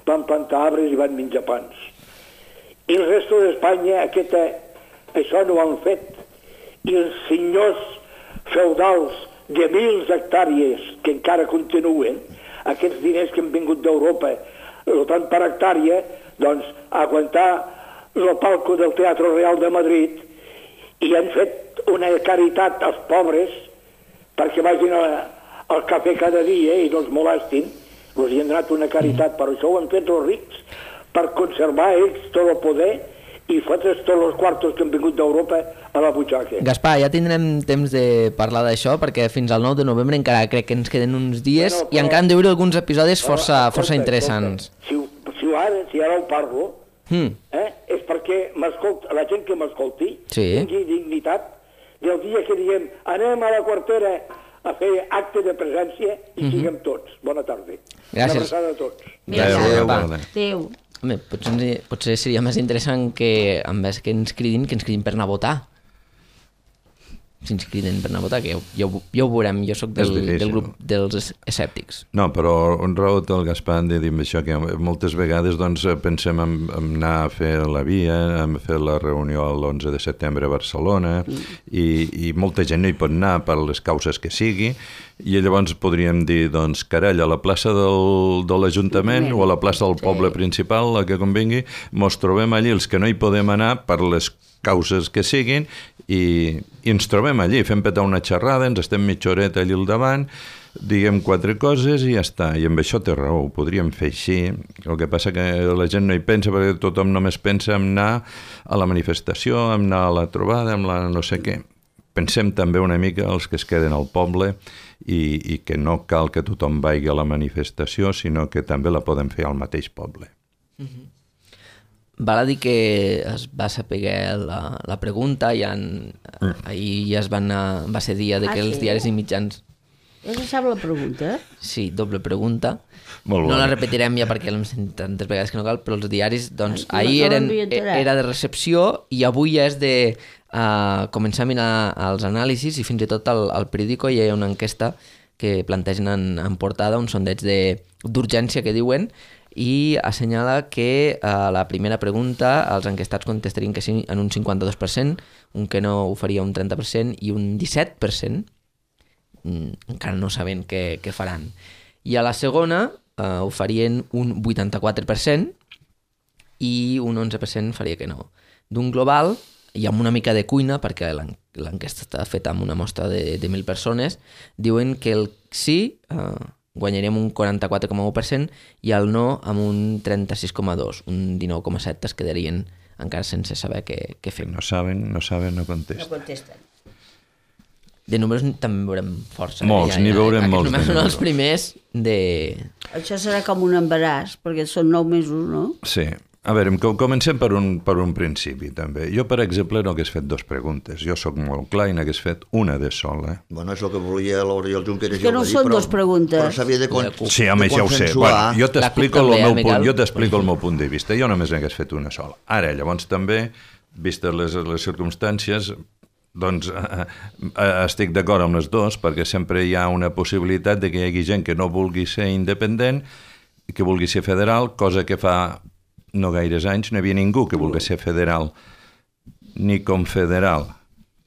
van plantar arbres i van menjar pans. I el resto d'Espanya aquesta, això no ho han fet. I els senyors feudals de mil hectàrees que encara continuen, aquests diners que han vingut d'Europa, el tant per hectàrea, doncs aguantar el palco del Teatre Real de Madrid i han fet una caritat als pobres perquè vagin a, al cafè cada dia i no els molestin, els hi han donat una caritat, però això ho han fet els rics per conservar ells tot el poder i fotre's tots els quartos que han vingut d'Europa a la butxaca. Gaspar, ja tindrem temps de parlar d'això perquè fins al nou de novembre encara crec que ens queden uns dies bueno, però, i encara han de veure alguns episodis força, però, força interessants. Si, si, ara, si ara ho parlo, hmm. eh, és perquè la gent que m'escolti sí. tingui dignitat del dia que diguem anem a la quartera a fer acte de presència i mm-hmm. siguem tots. Bona tarda. Gràcies. Una abraçada a tots. Adéu. Adéu. Home, potser, potser seria més interessant que en vez que ens cridin, que ens cridin per anar a votar. Si ens criden per anar a votar, que ja, ja, ja ho veurem, jo sóc del, del grup dels escèptics. No, però un raó té el Gaspar de dir això, que moltes vegades doncs, pensem en, en anar a fer la via, en fer la reunió l'onze de setembre a Barcelona, mm. i, i molta gent no hi pot anar per les causes que sigui, i llavors podríem dir, doncs, carai, a la plaça del, de l'Ajuntament o a la plaça del poble principal, la que convingui, mos trobem allí els que no hi podem anar per les causes que siguin i, i ens trobem allí, fem petar una xerrada, ens estem mitja horeta allí al davant, diguem quatre coses i ja està, i amb això té raó, ho podríem fer així. El que passa que la gent no hi pensa perquè tothom només pensa en anar a la manifestació, en anar a la trobada, en la no sé què. Pensem també una mica els que es queden al poble i, i que no cal que tothom vagi a la manifestació, sinó que també la podem fer al mateix poble. Mm-hmm. Val a dir que es va saber la, la pregunta i en, mm. ahir ja es van, va ser dia de que ah, els sí? diaris i mitjans Ja se sap la pregunta, eh? Sí, doble pregunta. Molt No bona. la repetirem ja perquè l'hem sentit tantes vegades que no cal, però els diaris, doncs, Ai, no- ahir no eren, m'havia enterat. era de recepció i avui ja és de uh, començar a mirar els anàlisis i fins i tot al, al periòdico hi ha una enquesta que plantegen en, en portada un sondeig de- d'urgència que diuen i assenyala que a la primera pregunta els enquestats contestarien que sí en un cinquanta-dos per cent, un que no ho faria un trenta per cent i un disset per cent mm, encara no sabent què, què faran. I a la segona eh, ho farien un vuitanta-quatre per cent i un onze per cent faria que no. D'un global, i amb una mica de cuina, perquè l'en- l'enquesta està feta amb una mostra de, de mil persones, diuen que el sí eh, guanyaríem un quaranta-quatre coma u per cent i el no amb un trenta-sis coma dos, un dinou coma set es quedarien encara sense saber què, què fem. No saben, no saben, no No contesten. contesten. De números també en veurem força. Molts, n'hi veurem aquests molts de números són els números. primers de... Això serà com un embaràs, perquè són nou mesos, no? Sí. A veure, com- comencem per un, per un principi, també. Jo, per exemple, no hagués fet dos preguntes. Jo sóc molt clar i n'hagués fet una de sola. Bueno, és el que volia l'Oriol Junqueras. És que ja ho no va dir, són però- dos preguntes. Però s'havia de, con Sí, home, de ja ho sé. consensuar. Bueno, jo t'explico La el CUP també, meu eh, punt, Miquel? jo t'explico el meu punt de vista. Jo només n'hagués fet una sola. Ara, llavors també, vistes les, les circumstàncies, doncs eh, eh, estic d'acord amb les dues, perquè sempre hi ha una possibilitat de que hi hagi gent que no vulgui ser independent, que vulgui ser federal, cosa que fa no gaires anys no hi havia ningú que volgués ser federal ni confederal.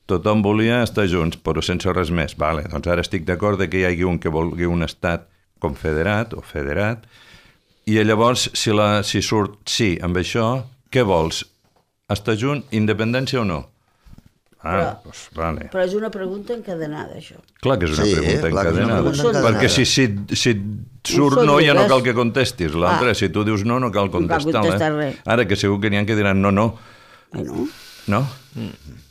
Tothom volia estar junts, però sense res més. Vale, doncs ara estic d'acord de que hi hagi un que vulgui un estat confederat o federat, i llavors, si, la, si surt sí amb això, què vols? Estar junt, independència o no? Ah, Però- doncs vale. Però és una pregunta encadenada, això. Clar que és una Sí, pregunta clar que és una encadenada. pregunta encadenada. Perquè si, si, si surt són no, ja no dues. cal que contestis. L'altre, Ah. si tu dius no, no cal cal contestar. contestar eh? res. Ara que segur que n'hi ha que diran no, no. Bueno, No?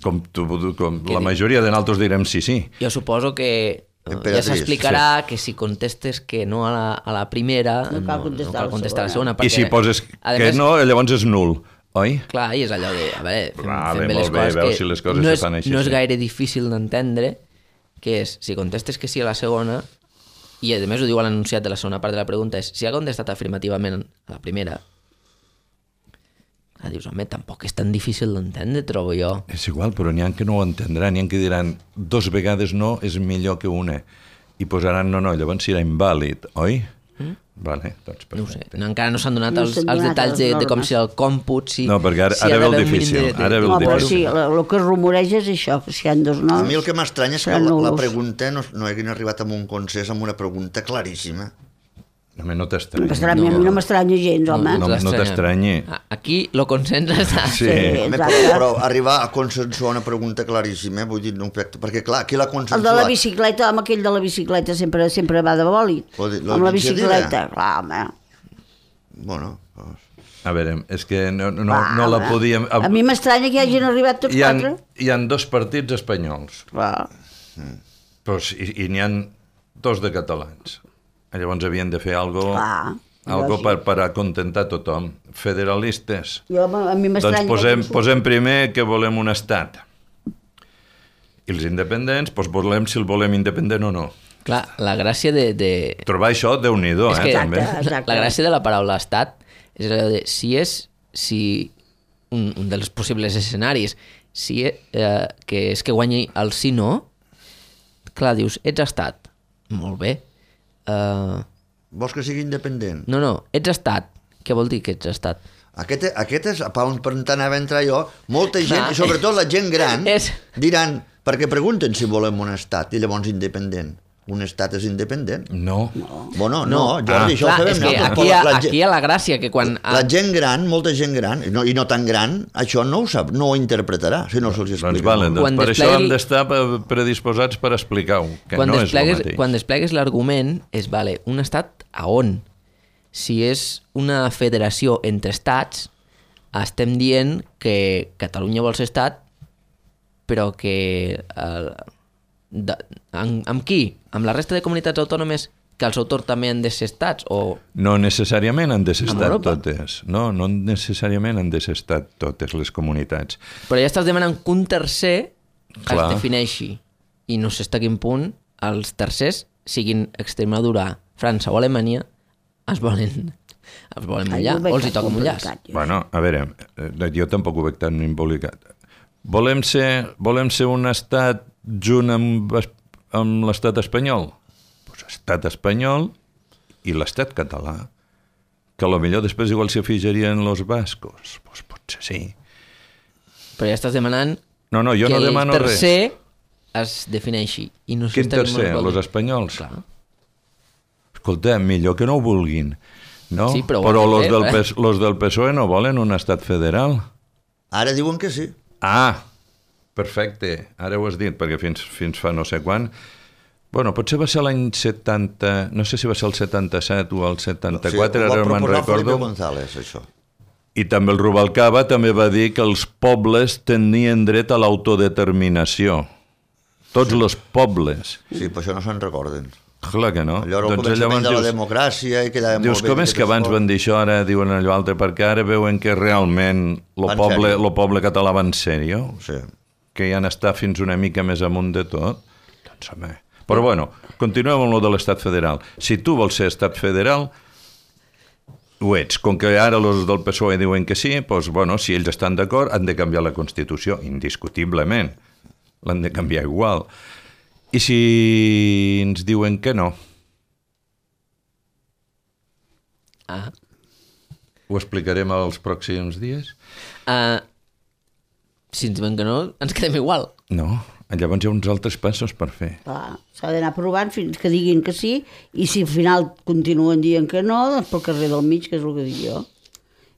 Com, tu, com la majoria de nosaltres direm sí, sí. Jo suposo que eh, ja Emperatriz, s'explicarà que si contestes que no a la, a la primera, No cal contestar no cal a la contestar a la segona. segona. I si poses a que més, no, llavors és nul, oi? Clar, i és allò de, a veure, fem, Vale, fem bé les molt bé, coses, veus que si les coses no, se és, fan així, no és sí. gaire difícil d'entendre, que és, si contestes que sí a la segona, i a més ho diu a l'enunciat de la segona part de la pregunta, és si ha contestat afirmativament a la primera, clar, dius, home, tampoc és tan difícil d'entendre, trobo jo. És igual, però n'hi ha que no ho entendran, n'hi ha que diran dos vegades no és millor que una, i posaran no, no, llavors serà invàlid, oi? Mm? Vale, doncs No ho sé, perfecte. no, encara no s'han donat No els, s'han els donat detalls de, les de com normes. serà el còmput, si, No, perquè ara- si ara ha ve el d'haver un mínim difícil, de- de- ara ve el no, però difícil. sí, el que es rumoreja és això, que si hi ha dos noms... A mi el que m'estranya és que seran la, la nuls. pregunta no, no haguin arribat a un consens amb una pregunta claríssima. Home, no No t'estranyi. m'estranya, a mi no m'estranya gens, home. no, no t'estranyi. Ah, aquí lo consens està... Sí. Home, però, exacte. però arribar a consensuar una pregunta claríssima, vull dir, no, perquè clar, qui l'ha El consensuat? de la bicicleta, home, aquell de la bicicleta sempre sempre va de bòlit. Lo de- lo Amb la d'iniciativa? bicicleta, clar, home. Bueno, doncs... A veure, és que no, no, Clar, no la home. podíem... A mi m'estranya que hi hagin arribat tots hi ha, quatre. hi ha dos partits espanyols, Clar. però, s- i, i n'hi ha dos de catalans. Llavors havien de fer algo, Clar, algo lògic. per, per acontentar tothom. Federalistes. Jo, a mi m'estranya... Doncs posem, que- posem primer que volem un estat. I els independents, doncs volem si el volem independent o no. Clar, la gràcia de... de... Trobar això, Déu-n'hi-do, és eh, que també. Exacte. la gràcia de la paraula estat és allò de si és si un, un dels possibles escenaris si eh, que és que guanyi el sí no, clar, dius, ets estat, molt bé, uh, Vols que sigui independent? no, no, ets estat, què vol dir que ets estat? Aquest, aquest és, per on per on anava a entrar jo, molta gent, Clar. i sobretot la gent gran, És- diran, perquè pregunten si volem un estat, i llavors independent. Un estat és independent? No. Bueno, no, Jordi, això clar, ho sabem és que nosaltres, aquí, però hi ha, la, aquí hi ha la gràcia que quan... la gent gran, molta gent gran, i no, i no tan gran, això no ho sap, no ho interpretarà, si no se'ls explica. Doncs, vale, doncs Quan per desplegui- això hem d'estar pe- predisposats per explicar-ho, que quan no és el desplegues, mateix. quan desplegues l'argument és, vale, un estat a on? Si és una federació entre estats, estem dient que Catalunya vol ser estat, però que... Eh, de, amb, amb qui? Amb la resta de comunitats autònomes que el seu torn també han de ser estats? O... No necessàriament han de ser Amb estat Europa. totes. No, no necessàriament han de ser estat totes les comunitats. Però ja estàs demanant que un tercer Clar. es defineixi. I no sé fins a quin punt els tercers siguin Extremadura, França o Alemanya, es volen, es volen mullar, o els hi toca mullar. Bueno, a veure, jo tampoc ho veig tan embolicat. Volem ser, volem ser un estat junt amb, amb l'estat espanyol? Doncs estat espanyol i l'estat català, que potser després igual s'hi afegirien els bascos. Doncs potser sí. Però ja estàs demanant no, no, jo que no demano el tercer res. Es defineixi. I no Quin tercer? Els espanyols? Clar. Escolta, millor que no ho vulguin. No? Sí, però però los fer, del, eh? los del P S O E no volen un estat federal. Ara diuen que sí. Ah, perfecte. Ara ho has dit, perquè fins, fins fa no sé quan... Bueno, potser va ser l'any setanta... No sé si va ser el setanta-set o el setanta-quatre, sí, ara me'n recordo. Felipe González, això. I també el Rubalcaba també va dir que els pobles tenien dret a l'autodeterminació. Tots sí. Els pobles. Sí, però això no se'n recorden. Clar que no. Allò era el doncs començament de la democràcia i quedava dius, molt bé. Com és que abans van dir això, ara diuen allò altre, perquè ara veuen que realment el poble, lo poble català va en sèrio? Sí. Que ja n'està fins una mica més amunt de tot? Doncs home... Però bueno, continuem amb lo de l'estat federal. Si tu vols ser estat federal, ho ets. Com que ara els del P S O E diuen que sí, doncs, bueno, si ells estan d'acord, han de canviar la Constitució, indiscutiblement. L'han de canviar igual. I si ens diuen que no? Ah. Ho explicarem els pròxims dies? Uh, si ens diuen que no, ens quedem igual. No. Llavors hi ha uns altres passos per fer. Clar, s'ha d'anar provant fins que diguin que sí, i si al final continuen dient que no, doncs pel carrer del mig, que és el que dic jo.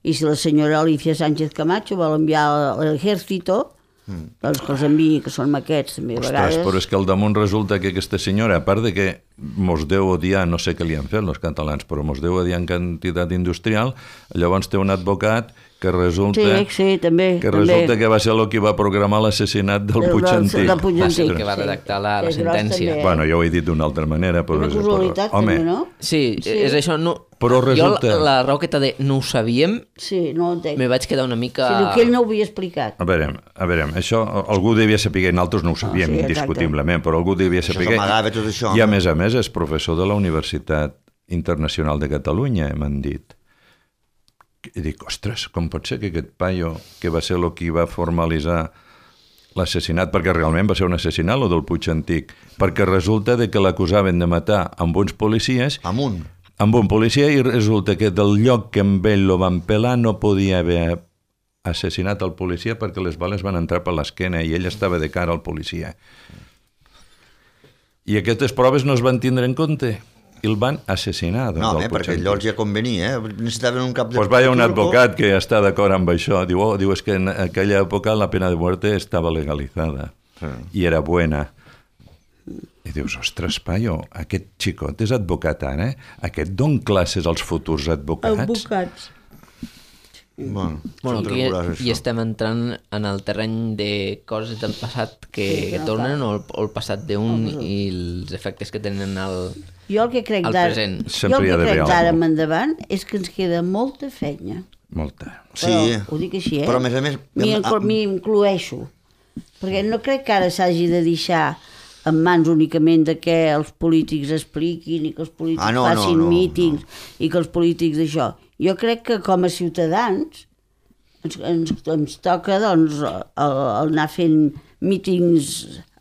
I si la senyora Alicia Sánchez Camacho vol enviar l'ejército, mm. doncs que els enviï, que són maquets també a vegades. Ostres, però és que al damunt resulta que aquesta senyora, a part de que mos deu odiar, no sé què li han fet els catalans, però mos deu odiar en quantitat industrial, llavors té un advocat que resulta, sí, sí, també, que, també. resulta que va ser el que va programar l'assassinat del Puig Antic. Del Puig Antic. Que va redactar la, la Sí, sentència. Bueno, jo ho he dit d'una altra manera, però... Una casualitat, home, també, no? Sí, sí, és això. No, però resulta... Jo la, la raó de no ho sabíem, sí, no ho entenc. me vaig quedar una mica... Sí, que ell no ho havia explicat. A veure, a veure, això algú devia saber, nosaltres no ho sabíem, Ah, sí, indiscutiblement, però algú devia saber. Això s'amagava tot això. I a més a més és professor de la Universitat Internacional de Catalunya, m'han dit. I dic, ostres, com pot ser que aquest paio, que va ser el que va formalitzar l'assassinat, perquè realment va ser un assassinat, el del Puig Antic, perquè resulta de que l'acusaven de matar amb uns policies, amb un, amb un policia, i resulta que del lloc que amb ell lo van pelar no podia haver assassinat el policia perquè les bales van entrar per l'esquena i ell estava de cara al policia. I aquestes proves no es van tindre en compte. I el van assassinar. No, eh, perquè allò els ja convenia, eh? Necessitaven un cap de... Pues vaya un advocat que està d'acord amb això. Diu, oh, diu, és que en aquella època la pena de muerte estava legalitzada sí. I era buena. I dius, ostres, paio, aquest xicot és advocat ara, eh? Aquest don classes als futurs advocats? Advocats. Bueno, bueno aquí hi estem entrant en el terreny de coses del passat que, sí, que tornen, o el, o el passat d'un oh, i els efectes que tenen al, jo el que crec al present. Jo el que crec d'ara en endavant és que ens queda molta feina. Molta. Sí, però, ho dic així, eh? Però a més a més... M'hi incloeixo. Perquè no crec que ara s'hagi de deixar en mans únicament de que els polítics expliquin i que els polítics ah, no, facin no, no, mítings no. I que els polítics d'això. Jo crec que com a ciutadans ens, ens, ens toca doncs, anar fent mítings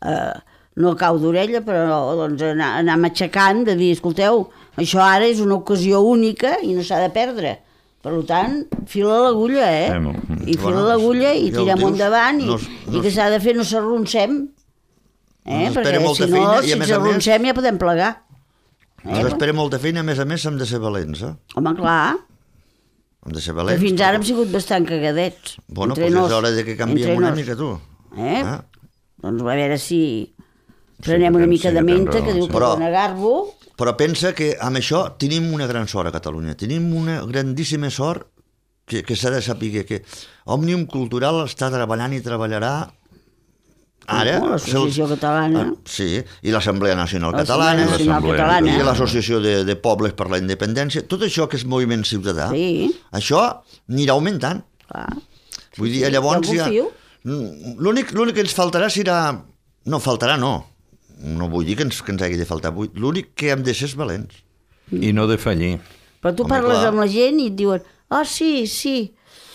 eh, no a cau d'orella, però doncs, anar, anar matxacant de dir, escolteu, això ara és una ocasió única i no s'ha de perdre. Per tant, fila l'agulla, eh? I fila bueno, l'agulla i tirem endavant i, no, no, i que s'ha de fer no s'arroncem. Eh? No perquè si no, si ens arroncem ja podem plegar. Eh? Ens espera molta feina, a més a més hem de ser valents, eh? Home, clar. Hem de ser valents. Que fins ara hem sigut bastant cagadets. Bueno, doncs és hora de que canviem una mica, tu. Eh? Ah. Doncs a veure si prenem una mica de menta, que diu que dona garbo. Però pensa que amb això tenim una gran sort a Catalunya. Tenim una grandíssima sort que, que s'ha de saber que Òmnium Cultural està treballant i treballarà ara... Oh, l'Associació Catalana. Ah, sí, i l'Assemblea Nacional Catalana, Catalana. I l'Associació de, de Pobles per la Independència. Tot això que és moviment ciutadà, sí. Això anirà augmentant. Clar. Vull dir, llavors ja... L'únic que ens faltarà serà... No, faltarà no. no vull dir que ens, que ens hagi de faltar buit. L'únic que hem de ser és valents. I no de fallir. Però tu Home, parles clar. amb la gent i et diuen ah, sí, sí,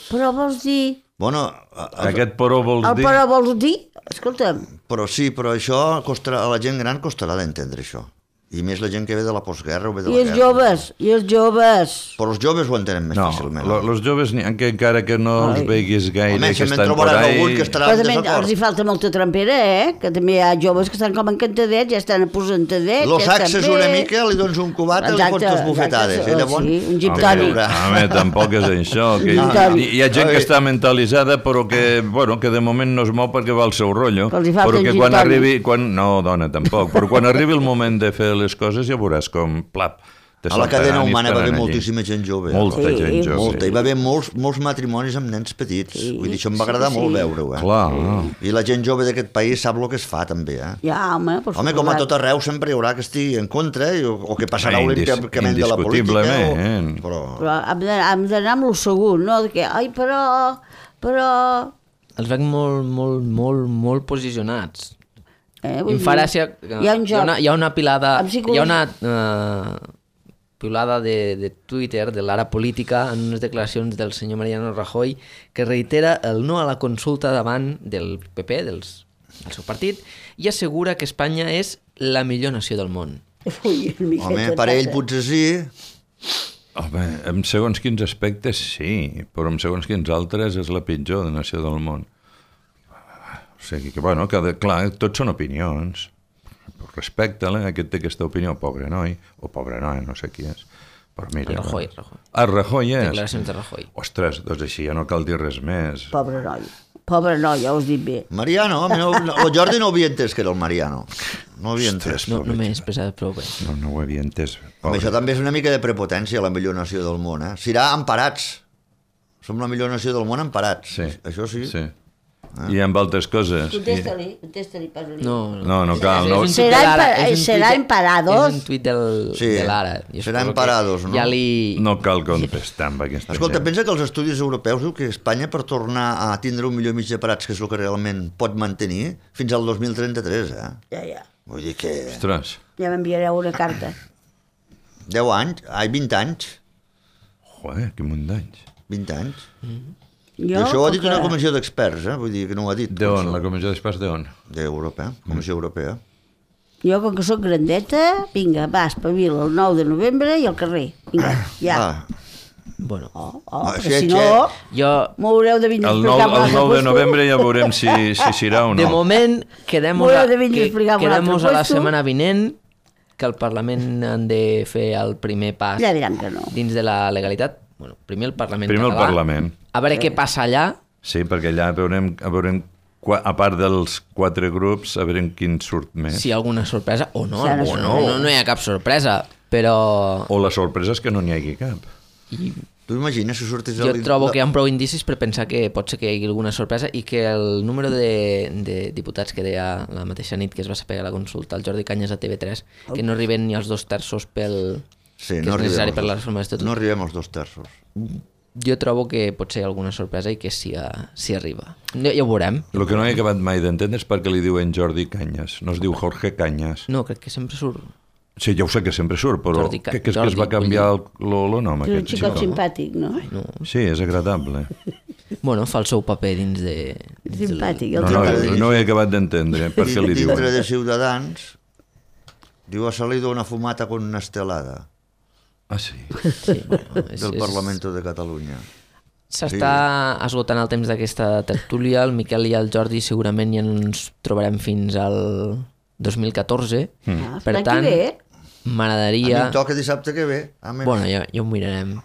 però vols dir... Bueno, a- a- Aquest però vols El dir... però vols dir? Escolta'm, però sí, però això costarà, a la gent gran costarà d'entendre això. I més la gent que ve de la postguerra o ve de i la els guerra. joves, i els joves... Però els joves ho entenen més No, fàcilment. lo, los joves, ni- que encara que no els Ai. veiguis gaire, Home, que si me'n estan por trobaràs ahí... algun que estarà Però en també els hi desacord. falta molta trampera, eh? Que també hi ha joves que estan com encantadets, ja estan aposentadets, Los ja estan saxes bé. una mica, li dones un cubat i li fots les bufetades. exacte, I llavors... sí, un gin Home, tònic. home, tampoc és això. Que Un hi, tònic. hi ha gent que Ai. està mentalitzada però que, bueno, que de moment no es mou perquè va al seu rotllo. Però els hi falta Però un que gin quan tònic. arribi... Quan, no, dona, tampoc. Però quan arribi el moment de fer les coses ja veuràs com, plap, te A la cadena saltaran i humana va haver estaran allí. moltíssima gent jove. Molta Sí, gent jove. Molta. Hi va haver molts, molts matrimonis amb nens petits. Sí, Vull dir, això em sí va agradar que molt sí. veure-ho. Eh? Clar. I la gent jove d'aquest país sap el que es fa, també. Eh? Ja, home, per Home, com a suposat. tot arreu sempre hi haurà que estigui en contra i, o, o que passarà Indis- olímpicament de la política. indiscutiblement. O, però... Però hem de- hem d'anar amb el segur, no? De que, ai, però... però... Els veig molt, molt, molt, molt posicionats. Eh, I vull em fa dir, gràcia... que Hi ha un Hi ha joc. una, hi ha una pilada... Amb Hi psicologia. ha una uh, pilada de, de Twitter, de l'Ara Política, en unes declaracions del senyor Mariano Rajoy, que reitera el no a la consulta davant del P P, dels, del seu partit, i assegura que Espanya és la millor nació del món. Ui, una miqueta Home, per ell tassa. potser sí. Home, en segons quins aspectes sí, però en segons quins altres és la pitjor de nació del món. O sigui que, bueno, cada, clar, tots són opinions. Respecta-la, aquest té aquesta opinió, pobre noi, o pobre noi, no sé qui és. Però mira... Rajoy, Rajoy. Ah, Rajoy és? Declaracions de Rajoy. Ostres, doncs així ja no cal dir res més. Pobre noi. Pobre noi, ja ho has dit bé. Mariano, home, no, no, el Jordi no ho havia entès que era el Mariano. No ho havia Ostres, entès. No, no m'he expressat prou bé. No, no ho havia entès. Home, Pobre. això també és una mica de prepotència, la millor nació del món, eh? Serà emparats. Som la millor nació del món emparats. Sí. Això sí. Sí. I amb altres coses. I... Contesta-li, contesta-li, posa-li. No, No, no cal. No. És un tuit Serà de l'Ara, empa- és un serà tuit de- emparados? És un tuit del, Sí, de l'Ara. Jo serà suposo que emparados, no? Ja li... No cal contestar amb aquesta Escolta, gent. pensa que els estudis europeus diu que Espanya per tornar a tindre un milió i mig de parats, que és el que realment pot mantenir, fins al dos mil trenta-tres, eh? Ja, ja. Vull dir que... Ostres, Ja m'enviareu una carta. deu anys, ai, vint anys. joder, que munt d'anys. vint anys. Jo, I això ho ha dit com una que- comissió d'experts, eh? Vull dir que no ho ha dit. D'on? La comissió d'experts d'on? D'Europa, Comissió Europea. Jo, com que sóc grandeta, vinga, va, espavila el nou de novembre i al carrer. Vinga, ja. Ah, Bueno, Oh, oh, Ah, perquè sí, si sí. no, jo... m'haureu de vindre a El nou, explicar el nou de novembre ja veurem si, si serà o no. De moment, quedem-nos M'ho heu a, de vindre a que, explicar amb un quedem-nos altre a la puesto. setmana vinent, que el Parlament han de fer el primer pas Ja diran que no. dins de la legalitat. Bueno, primer el Parlament Primer el català. Parlament. A veure què passa allà. Sí, perquè allà veurem, veurem qua- a part dels quatre grups, a veure quin surt més. Si hi ha alguna sorpresa o no. Sí, ara o sí. no, no, no hi ha cap sorpresa, però O la sorpresa és que no n'hi hagi cap. i tu imagines si sortis... jo el- trobo la- que hi ha prou indicis per pensar que pot ser que hi hagi alguna sorpresa i que el número de, de diputats que deia la mateixa nit que es va saber a la consulta el Jordi Cañas a T V tres, que no arriben ni als dos terços pel, Sí, que no és necessari arribem per als la dos- reforma d'estatut. No arribem als dos terços. Jo trobo que pot ser alguna sorpresa i que sí, a- sí arriba. Ja, ja ho veurem. El que no he acabat mai d'entendre és per què li diuen Jordi Cañas. No es diu Jorge Cañas. No, crec que sempre surt... Sí, ja ho sé que sempre surt, però Jordi Ca- que, que és que es Jordi, va canviar el, lo, lo nom És un aquest xicot xicot. simpàtic, no? No. Sí, és agradable. Bueno, fa el seu paper dins de... Dins del- Simpàtic. No, El no, xicot. no he acabat d'entendre per què li Dintre diuen. de Ciutadans, diu ha salido una fumata con una estelada Ah, sí. Sí, bueno, és, del és... Parlamento de Catalunya. S'està esgotant el temps d'aquesta tertúlia. El Miquel i el Jordi segurament ja no ens trobarem fins al dos mil catorze. Ah, Per l'any que tant, ve. A mi m'agradaria... em toca dissabte que ve. Ah, menys. Bueno, ja, ja ho mirarem.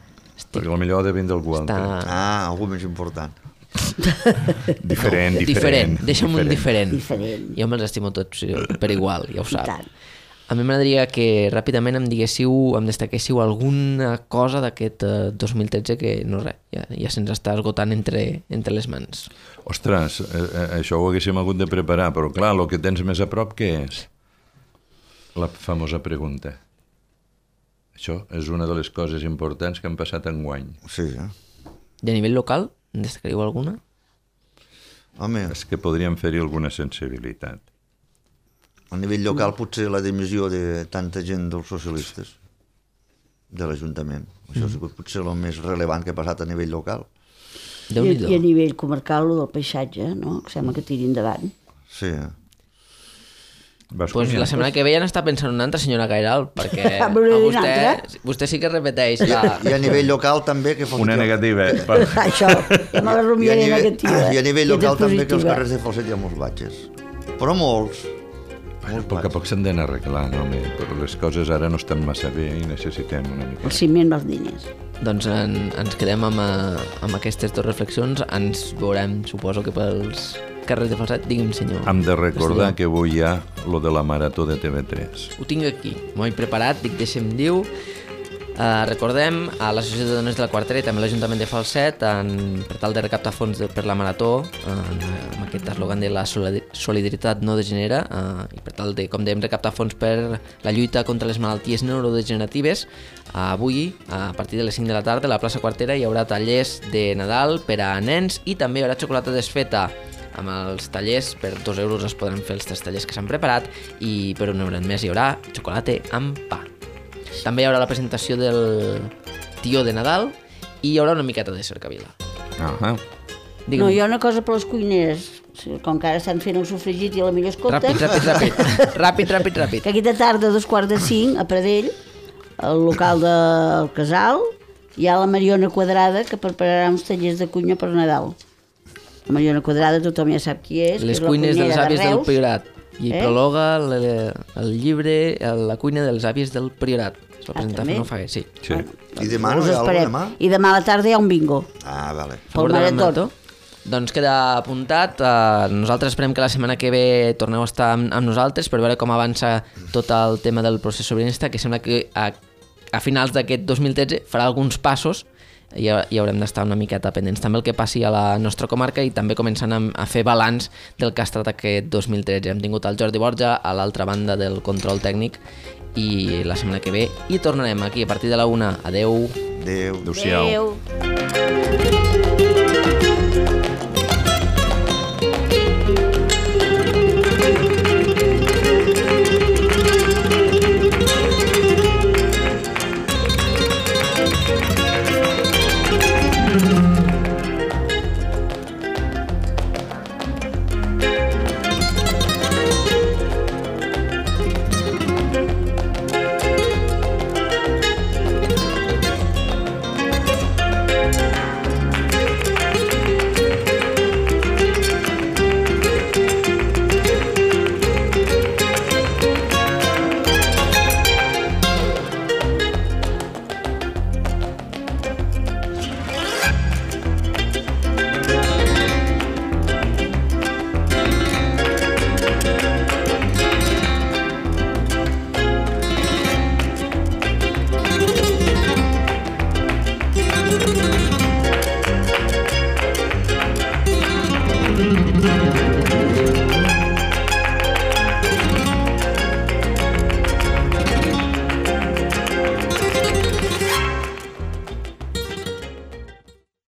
Perquè potser ha de vindre algú altre. Està... Ah, algú més important. Diferent, diferent. Diferent, deixa'm un diferent. Diferent. Jo me'ls estimo tots per igual, ja ho I sap. tant. A mi m'agradaria que ràpidament em diguéssiu, em destaquéssiu alguna cosa d'aquest eh, dos mil tretze que no res, ja, ja se'ns està esgotant entre, entre les mans. Ostres, eh, eh, això ho haguéssim hagut de preparar, però clar, el que tens més a prop, què és? La famosa pregunta. Això és una de les coses importants que han passat enguany. Sí, eh? De nivell local, en destacaríeu alguna? Home, És que podríem fer-hi alguna sensibilitat. A nivell local potser la dimissió de tanta gent dels socialistes de l'Ajuntament. Això ha sigut potser el més rellevant que ha passat a nivell local. I, I a nivell comarcal, el del paisatge, no? Que sembla que tiri endavant. Sí. Pues la setmana que ve ja n'està pensant una altra, senyora Gairal, perquè a vostè, vostè sí que repeteix la... I a nivell local també que... Una negativa. Això, ja me la rumiaré negativa. I a nivell local també que els carrers de Falset hi ha molts batxes. Però molts. A poc a poc s'han d'anar arreglant, home, però les coses ara no estan massa bé i necessitem una mica. El ciment dels diners. Doncs en, ens quedem amb, amb aquestes dues reflexions. Ens veurem, suposo que pels carrers de Falset. Digui'm, senyor. Hem de recordar que avui hi ha lo de la marató de T V tres. Ho tinc aquí, m'ho he preparat, dic, deixa'm diu. Uh, recordem a l'Associació de Dones de la Quartera i també l'Ajuntament de Falset en, per tal de recaptar fons de, per la marató en, amb aquest eslògan de la solidaritat no degenera uh, i per tal de, com dèiem, recaptar fons per la lluita contra les malalties neurodegeneratives. Uh, avui, a partir de les cinc de la tarda, a la plaça Quartera hi haurà tallers de Nadal per a nens i també hi haurà xocolata desfeta. Amb els tallers, per dos euros es podran fer els tres tallers que s'han preparat i per un euro més hi haurà xocolata amb pa. També hi haurà la presentació del tió de Nadal i hi haurà una miqueta de cercavila. Ahà. No, hi ha una cosa per les cuineres, com que ara estan fent el sofregit i a la millor escolta... Ràpid, ràpid, ràpid, ràpid, ràpid, ràpid. Que aquesta tarda, a dos quarts de cinc, a Pradell, al local del Casal, hi ha la Mariona Quadrada que prepararà uns tallers de cuina per Nadal. La Mariona Quadrada tothom ja sap qui és. Les cuines de les àvies del Priorat. I Eh? prologa el, el llibre La cuina de les àvies del Priorat. Es va presentar també? fa no fa gaire, sí. Sí. I demà no Us hi ha alguna esperem. demà? I demà a la tarda hi ha un bingo. Ah, vale. Pel Favor de la marató. Doncs queda apuntat. Uh, nosaltres esperem que la setmana que ve torneu a estar amb, amb nosaltres per veure com avança tot el tema del procés sobiranista, que sembla que a, a finals d'aquest dos mil tretze farà alguns passos i, i haurem d'estar una miqueta pendents també el que passi a la nostra comarca i també començant a, a fer balanç del que ha estat aquest dos mil tretze. Hem tingut el Jordi Borja a l'altra banda del control tècnic i la setmana que ve hi tornarem aquí a partir de la una. Adeu. Adéu. Adéu-siau. Adéu.